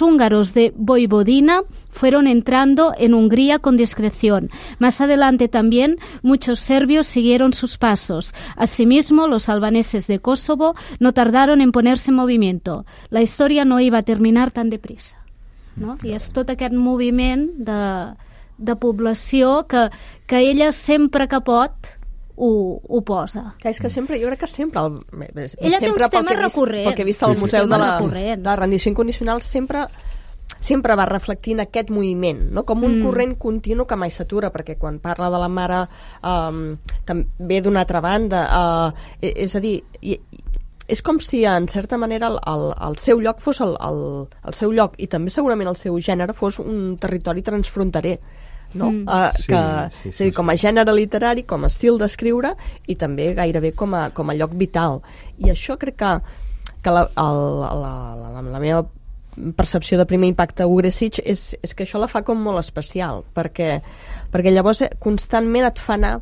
húngaros de Voivodina fueron entrando en Hungría con discreción. Más adelante también muchos serbios siguieron sus pasos. Asimismo, los albaneses de Kosovo no tardaron en ponerse en movimiento. La historia no iba a terminar tan deprisa. No? I és tot aquest moviment de població que ella sempre que pot ho posa. És que sempre, jo crec que sempre... Ella té uns temes recurrents. Pel que he vist al Museu de la Rendició Incondicional sempre va reflectint aquest moviment, no? Com un corrent continu que mai s'atura, perquè quan parla de la mare també d'una altra banda, és a dir, és com si en certa manera el seu lloc fos el seu lloc, i també segurament el seu gènere fos un territori transfronterer, no? És a dir, com a gènere literari, com a estil d'escriure, i també gairebé com a lloc vital. I això crec que la meva percepció de primer impacte a Ugresic és que això la fa com molt especial, perquè llavors constantment et fa anar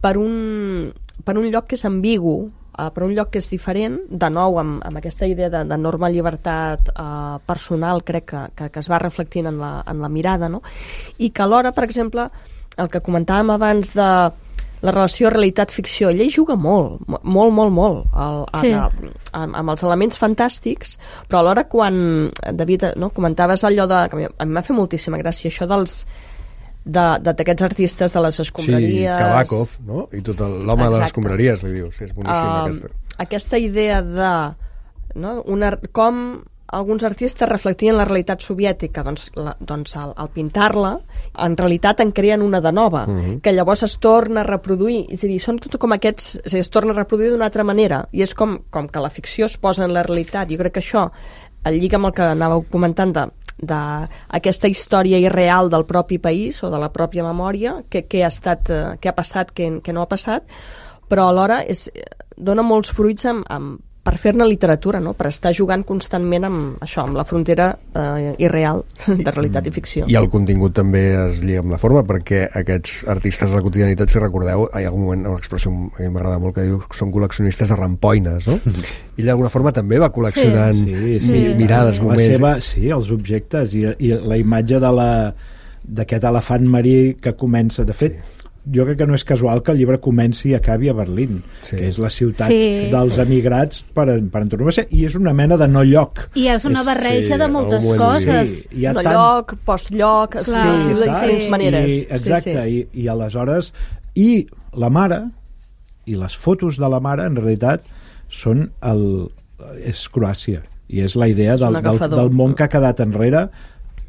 per un lloc que és ambigu, per un lloc que és diferent, de nou amb aquesta idea d'enorme llibertat personal, crec que es va reflectint en la mirada, no? I que alhora, per exemple, el que comentàvem abans de la relació realitat-ficció, ella hi juga molt amb els elements fantàstics, però alhora quan, David, no, comentaves allò de... que a mi m'ha fet moltíssima gràcia, això d'aquests artistes de les escombraries... Sí, Kabakov, no? I tot l'home de les escombraries, li dius. És boníssima aquesta idea de... no? Com alguns artistes reflectien la realitat soviètica, doncs al pintar-la, en realitat en creen una de nova, que llavors es torna a reproduir. És a dir, són com aquests... És a dir, es torna a reproduir d'una altra manera. I és com que la ficció es posa en la realitat. Jo crec que això, el lliga amb el que anàveu comentant d'aquesta història irreal del propi país o de la pròpia memòria, què ha passat, què no ha passat, però alhora dona molts fruits per fer-ne literatura, no? Per estar jugant constantment amb la frontera irreal de realitat i ficció. I el contingut també es lliga amb la forma, perquè aquests artistes de la quotidianitat, si recordeu, hi ha algun moment, una expressió que m'agrada molt, que diu que són col·leccionistes de rampoines, no? I d'alguna forma també va col·leccionant mirades, moments. Els objectes i la imatge d'aquest elefant marí que comença, de fet, jo crec que no és casual que el llibre comenci i acabi a Berlín, que és la ciutat dels emigrats per antonomàsia, i és una mena de no lloc. I és una barreja de moltes coses. No lloc, post-lloc, estil de diferents maneres. Exacte, i aleshores... I la mare, i les fotos de la mare, en realitat, és Croàcia, i és la idea del món que ha quedat enrere,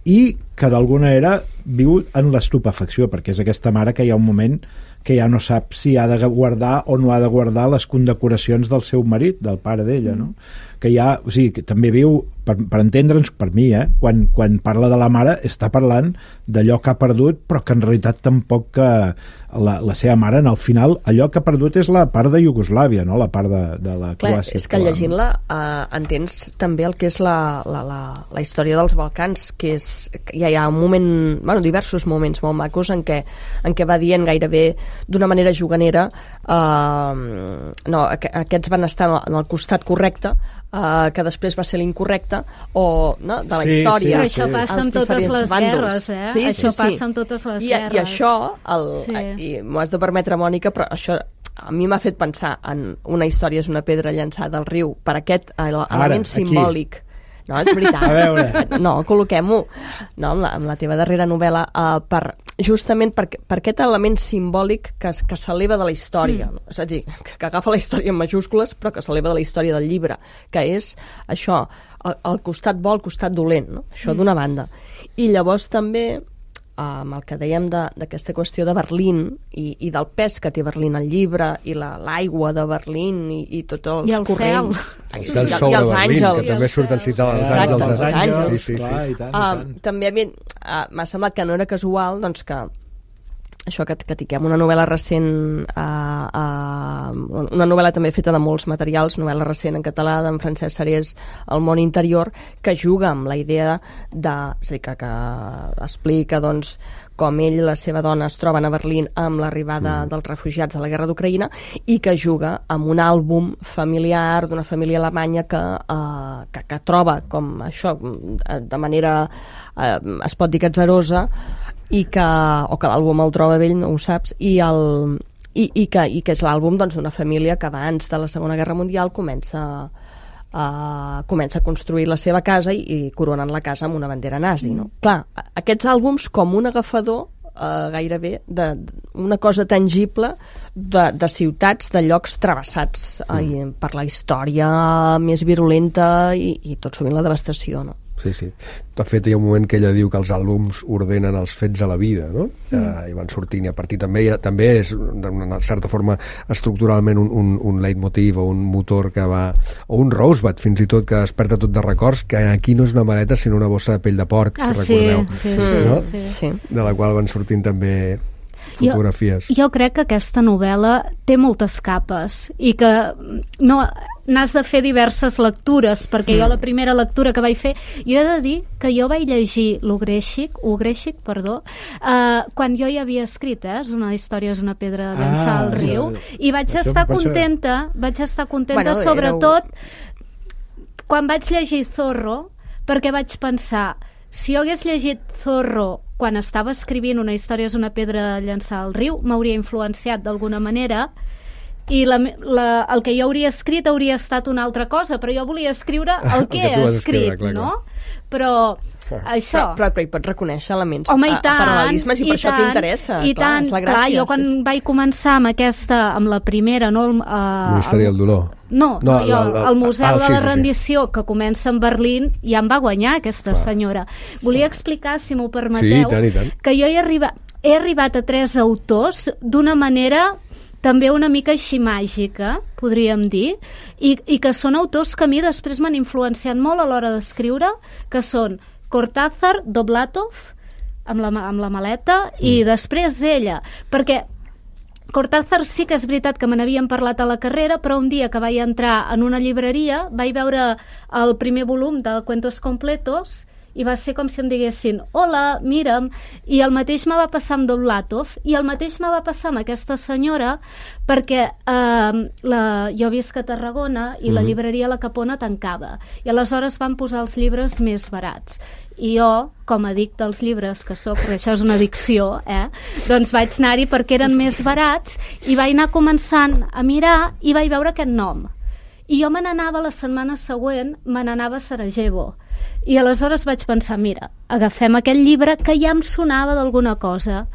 i que d'alguna manera viu en l'estupefacció, perquè és aquesta mare que hi ha un moment que ja no sap si ha de guardar o no ha de guardar les condecoracions del seu marit, del pare d'ella, no? Que ja, o sigui, que també viu, per entendre'ns, per mi, quan parla de la mare, està parlant d'allò que ha perdut, però que en realitat tampoc que la seva mare, en el final, allò que ha perdut és la part de Iugoslàvia, no? La part de la Croàcia. És que llegint-la entens també el que és la història dels Balcans, que hi ha un moment, diversos moments molt macos en què va dient gairebé d'una manera juganera aquests van estar en el costat correcte, que després va ser l'incorrecte, o no, de la història. Però això passa amb totes les guerres, això passa amb totes les guerres. I això, i m'ho has de permetre, Mònica, però això a mi m'ha fet pensar en una història és una pedra llançada al riu, per aquest element simbòlic. No, és veritat. A veure. No, col·loquem-ho amb la teva darrera novel·la justament per aquest element simbòlic que s'eleva de la història. És a dir, que agafa la història en majúscules però que s'eleva de la història del llibre, que és això, el costat bo, el costat dolent, no? Això d'una banda. I llavors també amb el que dèiem d'aquesta qüestió de Berlín i del pes que té Berlín al llibre, i l'aigua de Berlín i tots els I els corrents. cels. I el sol de Berlín, àngels. que també surten citant els Exacte, àngels. els àngels. Sí. Clar, i tant, i tant. També m'ha semblat que no era casual, doncs, que això que tinguem una novel·la recent, una novel·la també feta de molts materials, novel·la recent en català d'en Francesc Sarés, El món interior, que juga amb la idea és a dir, que explica doncs, com ell i la seva dona es troben a Berlín amb l'arribada dels refugiats de la guerra d'Ucraïna, i que juga amb un àlbum familiar d'una família alemanya que troba com això, de manera es pot dir que atzarosa, o que l'àlbum el troba vell, no ho saps, i que és l'àlbum d'una família que abans de la Segona Guerra Mundial comença a construir la seva casa i coronen la casa amb una bandera nazi, no? Clar, aquests àlbums com un agafador gairebé d'una cosa tangible de ciutats, de llocs travessats per la història més virulenta i tot sovint la devastació, no? Sí. De fet, hi ha un moment que ella diu que els àlbums ordenen els fets a la vida, no? I van sortint, i a partir també és, d'una certa forma, estructuralment un leitmotiv o un motor que va... o un Rosebud, fins i tot, que desperta tot de records, que aquí no és una maleta, sinó una bossa de pell de porc, si recordeu. Sí. De la qual van sortint també fotografies. Jo crec que aquesta novel·la té moltes capes i que no n'has de fer diverses lectures, perquè jo la primera lectura que vaig fer, jo he de dir que jo vaig llegir Ugrésic, quan jo ja havia escrit, una història és una pedra de llançar al riu, i vaig estar contenta, sobretot quan vaig llegir Zorro, perquè vaig pensar, si jo hagués llegit Zorro quan estava escrivint una història és una pedra de llançar al riu, m'hauria influenciat d'alguna manera, i el que jo hauria escrit hauria estat una altra cosa, però jo volia escriure el que he escrit, no? Però això... Però hi pots reconèixer elements, paral·lelismes, i per això t'interessa. I tant, clar, jo quan vaig començar amb la primera, no? La història del dolor. El Museu de la Rendició, que comença en Berlín, ja em va guanyar aquesta senyora. Volia explicar, si m'ho permeteu, que jo he arribat a 3 autors d'una manera també una mica així màgica, podríem dir, i que són autors que a mi després m'han influenciat molt a l'hora d'escriure, que són Cortázar, Doblatov, amb la maleta, i després ella, perquè Cortázar sí que és veritat que me n'havien parlat a la carrera, però un dia que vaig entrar en una llibreria vaig veure el primer volum de Cuentos Completos i va ser com si em diguessin hola, mira'm, i el mateix me va passar amb Doblatov, i el mateix me va passar amb aquesta senyora, perquè jo visc a Tarragona i la llibreria La Capona tancava, i aleshores van posar els llibres més barats, i jo, com a addicte als llibres que sóc, perquè això és una addicció, doncs vaig anar-hi perquè eren més barats, i vaig anar començant a mirar i vaig veure aquest nom, i jo me n'anava la setmana següent, me n'anava a Sarajevo, i aleshores vaig pensar, mira, agafem aquest llibre que ja em sonava d'alguna cosa.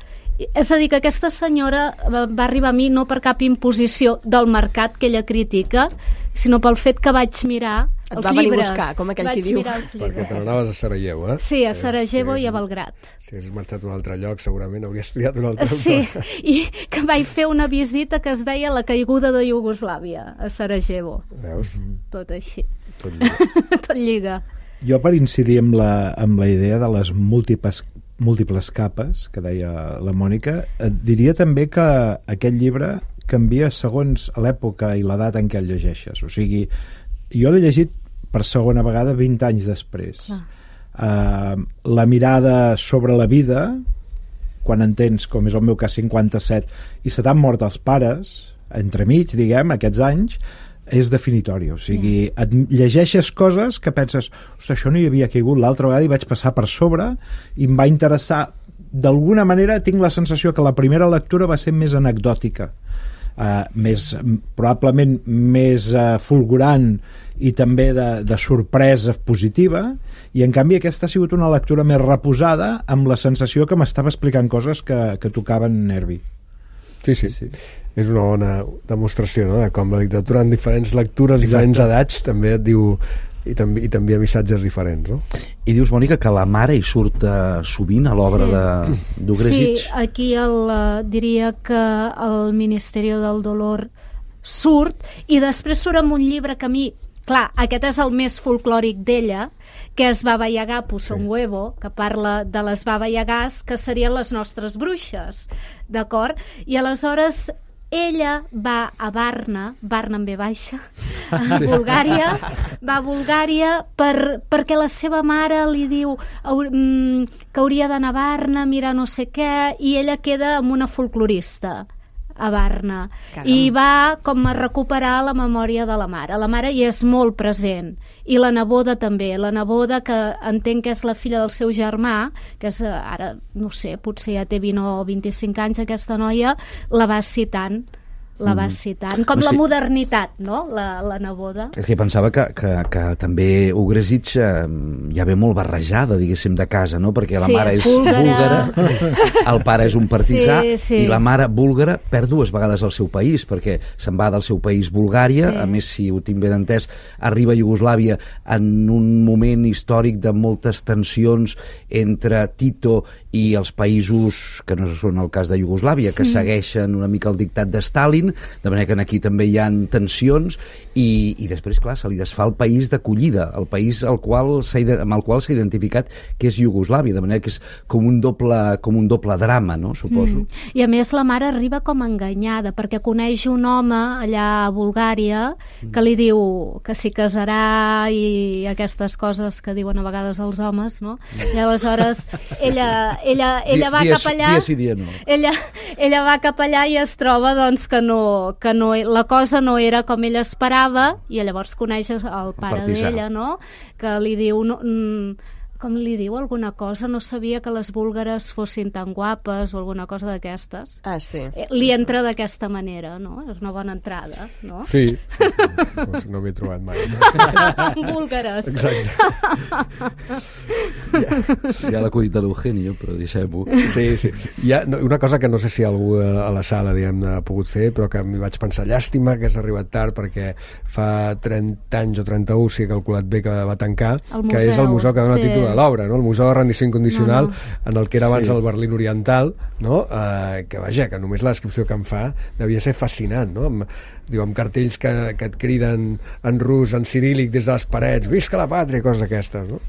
És a dir, que aquesta senyora va arribar a mi no per cap imposició del mercat que ella critica, sinó pel fet que vaig mirar els llibres. Et va venir a buscar, com aquell qui diu. Perquè te n'anaves a Sarajevo, Sí, a Sarajevo i a Belgrad. Si hagués marxat a un altre lloc, segurament hauries triat un altre Sí, i que vaig fer una visita que es deia La caiguda de Iugoslàvia, a Sarajevo. Veus? Tot així. Tot lliga. Jo, per incidir amb la idea de les múltiples capes que deia la Mònica, diria també que aquest llibre canvia segons l'època i l'edat en què el llegeixes. O sigui, jo l'he llegit per segona vegada 20 anys després. La mirada sobre la vida, quan en tens, com és el meu cas, 57, i se t'han mort els pares, entremig, diguem, aquests anys, és definitori, o sigui, et llegeixes coses que penses, ostres, això no hi havia caigut l'altra vegada i vaig passar per sobre i em va interessar, d'alguna manera tinc la sensació que la primera lectura va ser més anecdòtica, probablement més fulgurant i també de sorpresa positiva, i en canvi aquesta ha sigut una lectura més reposada amb la sensació que m'estava explicant coses que tocaven nervi. Sí. És una bona demostració, no?, de com la literatura en diferents lectures, diferents edats, també et diu i t'envia missatges diferents, no? I dius, Mònica, que la mare hi surt sovint a l'obra d'Ugresic? Sí, aquí diria que el Ministeri del Dolor surt, i després surt amb un llibre que a mi, clar, aquest és el més folclòric d'ella, que és Baba Yaga puso un huevo, que parla de les Baba Yagás, que serien les nostres bruixes, d'acord? I aleshores ella va a Varna amb B baixa, a Bulgària, va a Bulgària perquè la seva mare li diu que hauria d'anar a Varna, mirar no sé què, i ella queda amb una folclorista a Varna. Caram. I va com a recuperar la memòria de la mare. La mare hi és molt present, i la neboda també. La neboda, que entenc que és la filla del seu germà, que és ara, no sé, potser ja té 20 o 25 anys aquesta noia, la va citant. Com la modernitat, no?, la neboda. És que pensava que també Ugresic ja ve molt barrejada, diguéssim, de casa, no?, perquè la mare és búlgara, el pare és un partisà, i la mare búlgara perd 2 vegades el seu país, perquè se'n va del seu país, Bulgària, a més, si ho tinc ben entès, arriba a Iugoslàvia en un moment històric de moltes tensions entre Tito i els països que no són el cas de Iugoslàvia, que segueixen una mica el dictat de Stalin, de manera que aquí també hi ha tensions, i després, clar, se li desfà el país d'acollida, el país amb el qual s'ha identificat que és Iugoslàvia, de manera que és com un doble drama, no?, suposo. I a més la mare arriba com enganyada, perquè coneix un home allà a Bulgària que li diu que s'hi casarà i aquestes coses que diuen a vegades els homes, no? I aleshores ella va cap allà, ella va cap allà i es troba, doncs, que la cosa no era com ella esperava, i llavors coneix el pare d'ella, no?, que li diu com li diu alguna cosa, no sabia que les búlgares fossin tan guapes o alguna cosa d'aquestes. Ah, sí. Li entra d'aquesta manera, no? És una bona entrada, no? Sí. No m'he trobat mai. Búlgares. Exacte. Hi ha l'acudit de l'Eugenio, però deixem-ho. Sí. Hi ha una cosa que no sé si algú a la sala, diguem-ne, ha pogut fer, però que m'hi vaig pensar, llàstima que has arribat tard, perquè fa 30 anys o 31, si he calculat bé, que va tancar, que és el museu que dona títol a l'obra, no? El Museu de Rendició Incondicional, en el que era abans el Berlín Oriental, no? Que vaja, que només la descripció que em fa devia ser fascinant, no? Amb cartells que et criden en rus, en ciríl·lic, des de les parets, visca la pàtria, coses d'aquestes, no?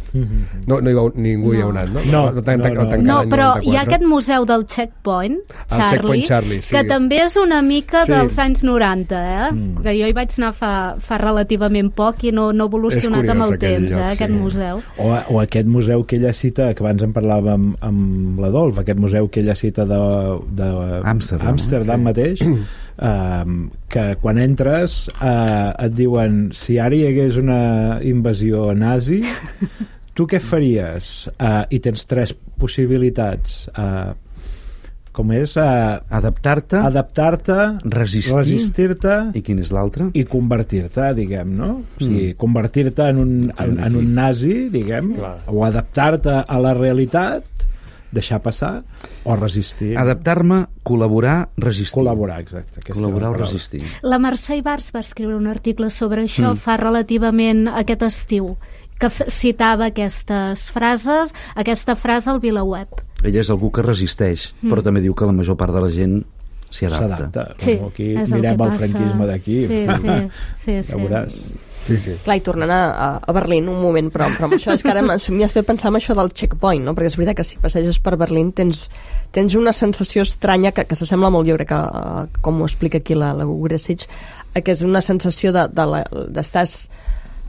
Ningú hi ha anat, no? No, però hi ha aquest museu del Checkpoint, Charlie, que també és una mica dels anys 90, que jo hi vaig anar fa relativament poc i no ha evolucionat amb el temps, aquest museu. O aquest museu que ella cita, que abans en parlàvem amb l'Adolf, aquest museu que ella cita d'Amsterdam mateix, que quan entres et diuen, si ara hi hagués una invasió nazi, tu què faries? I tens 3 possibilitats. Com és? Adaptar-te, resistir-te, i quin és l'altre? I convertir-te, diguem, no? O sigui, convertir-te en un nazi, diguem, o adaptar-te a la realitat, deixar passar, o resistir. Adaptar-me, col·laborar, resistir. Col·laborar, exacte. Col·laborar o resistir. La Mercè Ibars va escriure un article sobre això fa relativament aquest estiu, que citava aquestes frases, aquesta frase al VilaWeb. Ella és algú que resisteix, però també diu que la major part de la gent s'hi adapta. Sí, aquí mirem el franquisme d'aquí. Sí. Ja veuràs. Sí. Clar, i tornant a Berlín un moment, però amb això és que ara m'hi has fet pensar en això del checkpoint, no? Perquè és veritat que si passeges per Berlín tens una sensació estranya que s'assembla molt, jo crec que com ho explica aquí la Ugresic, que és una sensació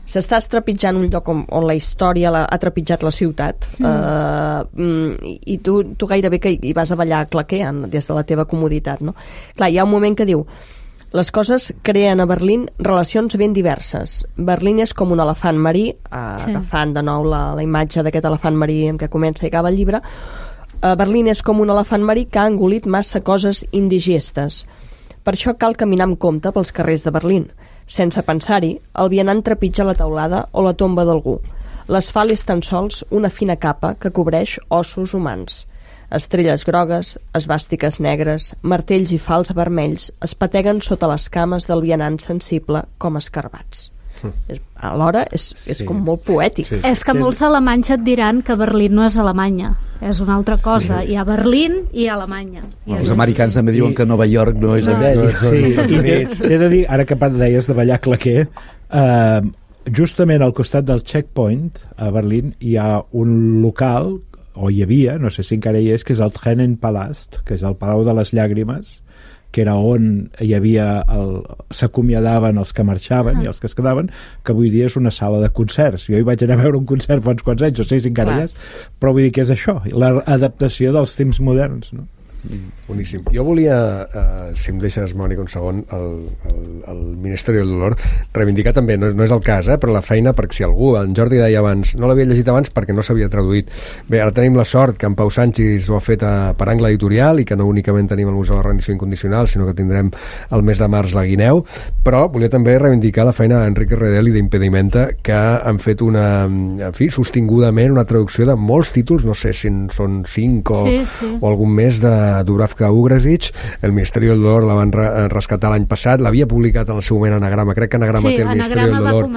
s'estàs trepitjant un lloc on la història ha trepitjat la ciutat, i tu gairebé que hi vas a ballar claqueant des de la teva comoditat, no? Clar, hi ha un moment que diu: les coses creen a Berlín relacions ben diverses. Berlín és com un elefant marí, agafant de nou la imatge d'aquest elefant marí amb què comença i acaba el llibre. Berlín és com un elefant marí que ha engolit massa coses indigestes. Per això cal caminar amb compte pels carrers de Berlín. Sense pensar-hi, el vianant trepitja la teulada o la tomba d'algú. L'asfalt és tan sols una fina capa que cobreix ossos humans. Estrelles grogues, esvàstiques negres, martells i fals vermells es pateguen sota les cames del vianant sensible com escarbats. Alhora és com molt poètic. Sí. És que molts alemanys et diran que Berlín no és Alemanya, és una altra cosa. Hi ha Berlín i Alemanya. Els americans també diuen que Nova York no és Amèrica. Sí, i t'he de dir, ara que deies de ballar claquer, justament al costat del Checkpoint a Berlín hi ha un local, o hi havia, no sé si encara hi és, que és el Tränenpalast, que és el Palau de les Llàgrimes, que era on hi havia s'acomiadaven els que marxaven i els que es quedaven, que avui dia és una sala de concerts. Jo hi vaig anar a veure un concert fa uns quants anys, no sé si encara hi és, però vull dir que és això, l'adaptació dels temps moderns, no? Boníssim. Jo volia, si em deixes, Mònica, un segon, el Ministeri del Dolor, reivindicar també, no és el cas, però la feina, perquè si algú, en Jordi deia abans, no l'havia llegit abans perquè no s'havia traduït. Bé, ara tenim la sort que en Pau Sanchis ho ha fet per Angle Editorial i que no únicament tenim el Museu de la Rendició Incondicional, sinó que tindrem el mes de març la Guineu, però volia també reivindicar la feina d'Enrique Redel i d'Impedimenta, que han fet en fi, sostingudament una traducció de molts títols, no sé si són 5 o algun més de Dubravka Ugresic. El Ministeri del Dolor la van rescatar l'any passat, l'havia publicat en el seu moment Anagrama, crec que Anagrama té el Ministeri del Dolor,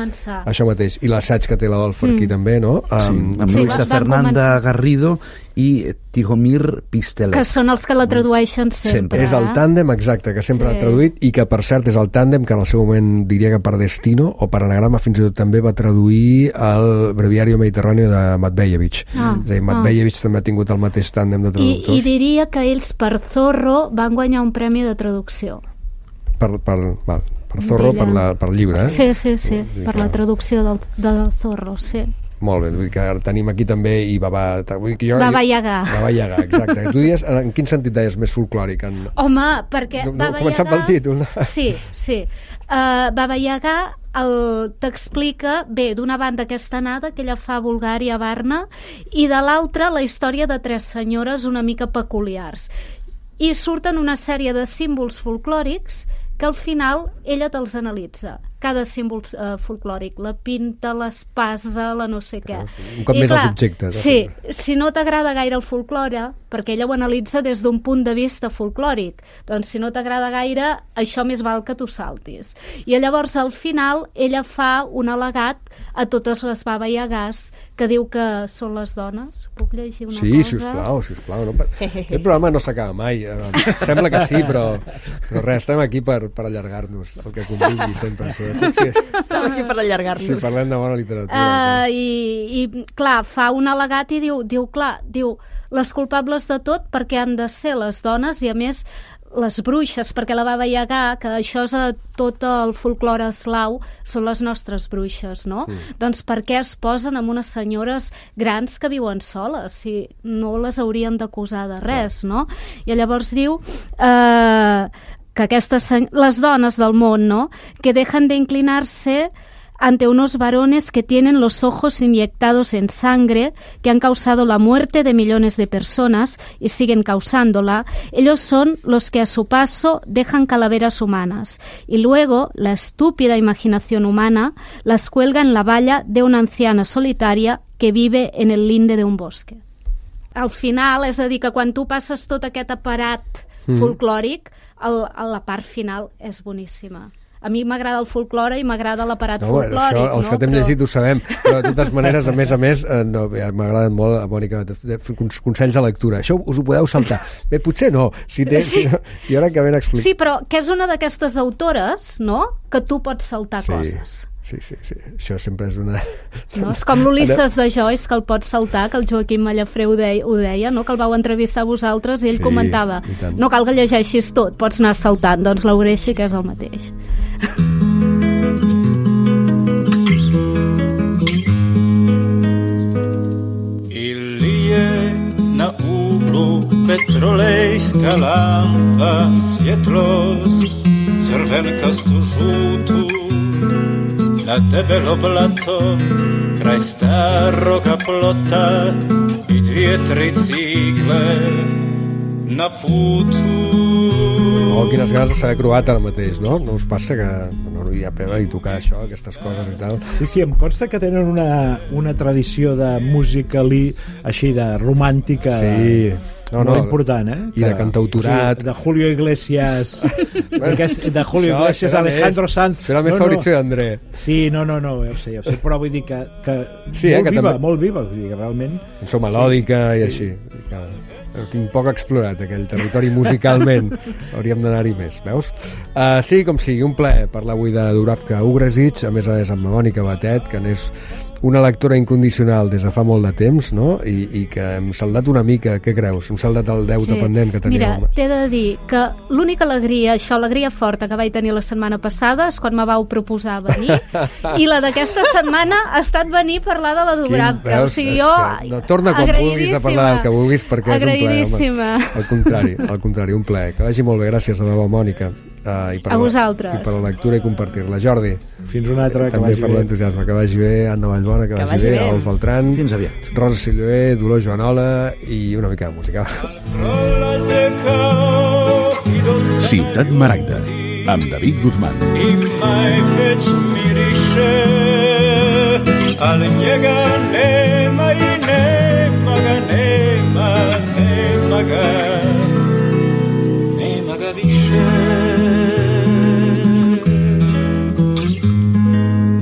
això mateix, i l'assaig que té l'Adolf aquí també, no? Amb Luisa Fernanda Garrido i Tihomir Pistelet, que són els que la tradueixen sempre. És el tàndem, exacte, que sempre l'ha traduït, i que per cert és el tàndem que en el seu moment diria que per Destino o per Anagrama fins i tot també va traduir el Breviario Mediterráneo de Matvejevic. És a dir, Matvejevic també ha tingut el mateix tàndem de traductors. I diria que ells per Zorro van guanyar un premi de traducció. Per Zorro, per llibre, Sí, per la traducció del Zorro, sí. Molt bé, vull dir que ara tenim aquí també i Baba Yaga. Baba Yaga, exacte. Tu dius, en quin sentit deies més folclòric? Home, perquè Baba Yaga... Començant pel títol. Sí. Baba Yaga t'explica, bé, d'una banda aquesta anada que ella fa a Bulgària, a Varna, i de l'altra la història de 3 senyores una mica peculiars. I surten una sèrie de símbols folclòrics que al final ella te'ls analitza. Cada símbol folclòric, la pinta, l'espasa, la no sé què. Un cop més els objectes. Sí, si no t'agrada gaire el folklore, perquè ella ho analitza des d'un punt de vista folclòric, doncs si no t'agrada gaire, això més val que tu saltis. I llavors al final ella fa un al·legat a totes les Baba Yagàs que diu que són les dones. Puc llegir una cosa? Sí, sisplau. No, aquest programa no s'acaba mai. Sembla que sí, però res, estem aquí per allargar-nos, el que convingui sempre. Estem aquí per allargar-nos. Sí, parlem de bona literatura. I clar, fa un al·legat i diu les culpables de tot perquè han de ser les dones i a més les bruixes, perquè la Baba Yaga, que això és a tot el folklore eslau, són les nostres bruixes, no? Doncs per què es posen amb unes senyores grans que viuen soles, si no les haurien d'acusar de res, no? I llavors diu que les dones del món, ¿no?, que dejan de inclinarse ante unos varones que tienen los ojos inyectados en sangre, que han causado la muerte de millones de personas y siguen causándola. Ellos son los que a su paso dejan calaveras humanas y luego la estúpida imaginación humana las cuelga en la valla de una anciana solitaria que vive en el linde de un bosque. Al final, és a dir, que quan tu passes tot aquest aparat folclòric, la part final és boníssima. A mi m'agrada el folklore i m'agrada l'aparat folclòric. Això, els que t'hem llegit ho sabem, però de totes maneres, a més, m'ha agradat molt, Mònica, consells de lectura. Això us ho podeu saltar. Bé, potser no, i ara que ben explicat. Sí, però que és una d'aquestes autores, no?, que tu pots saltar coses. Sí. Això sempre és una... No? És com l'Ulisses de Joyce, que el pots saltar, que el Joaquim Mallafré ho deia, no?, que el vau entrevistar a vosaltres i ell comentava, no cal que llegeixis tot, pots anar saltant. Doncs l'Eureixa, que és el mateix. Na uglu petrolejska lampa, świetlość, czerwenka żółtu, na debelo blato, kraj starego plota i 2-3 cigle na putu. quines ganes de saber croat ara mateix, no? No us passa que no hi ha pena i tocar això, aquestes coses i tal? Sí, em consta que tenen una tradició de música així de romàntica. Sí. Molt important, I de cantautorat. De Julio Iglesias, de Julio Iglesias, Alejandro Sanz. Serà més Fabrizio i André. Sí, no, ja ho sé, però vull dir que sí, molt viva, vull dir que realment... Cançó melòdica i així. Tinc poc explorat aquell territori musicalment. Hauríem d'anar-hi més, veus? Sí, com sigui, un plaer parlar avui de Dubravka Ugresic, a més amb la Mònica Batet, que n'és una lectora incondicional des de fa molt de temps, no? I que hem saldat una mica, què creus? Hem saldat el deute pendent que teníem. Mira, t'he de dir que l'única alegria, alegria forta que vaig tenir la setmana passada és quan me vau proposar venir, i la d'aquesta setmana ha estat venir a parlar de la Dubravka. O sigui, jo... No, torna quan vulguis a parlar del que vulguis, perquè és un plaer. Al contrari, un plaer. Que vagi molt bé, gràcies a debò, Mònica. A vosaltres. I per la lectura i compartir-la. Jordi. Fins una altra, que vagi bé. També per l'entusiasme, que vagi bé. Anna Vallbona, que vagi bé. Alf Beltran. Fins aviat. Rosa Silloé, Dolors Joanola i una mica de música. Ciutat Maragda, amb David Guzmán. I mai veig miriše, ale njega nema i nema ga više.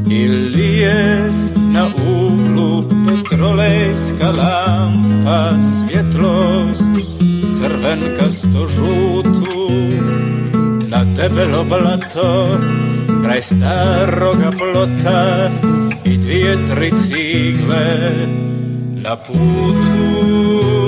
Ili je na uglu petrolejska lampa, svjetlost crvenkasto žutu, na debelo blato kraj staroga plota i 2-3 cigle na putu.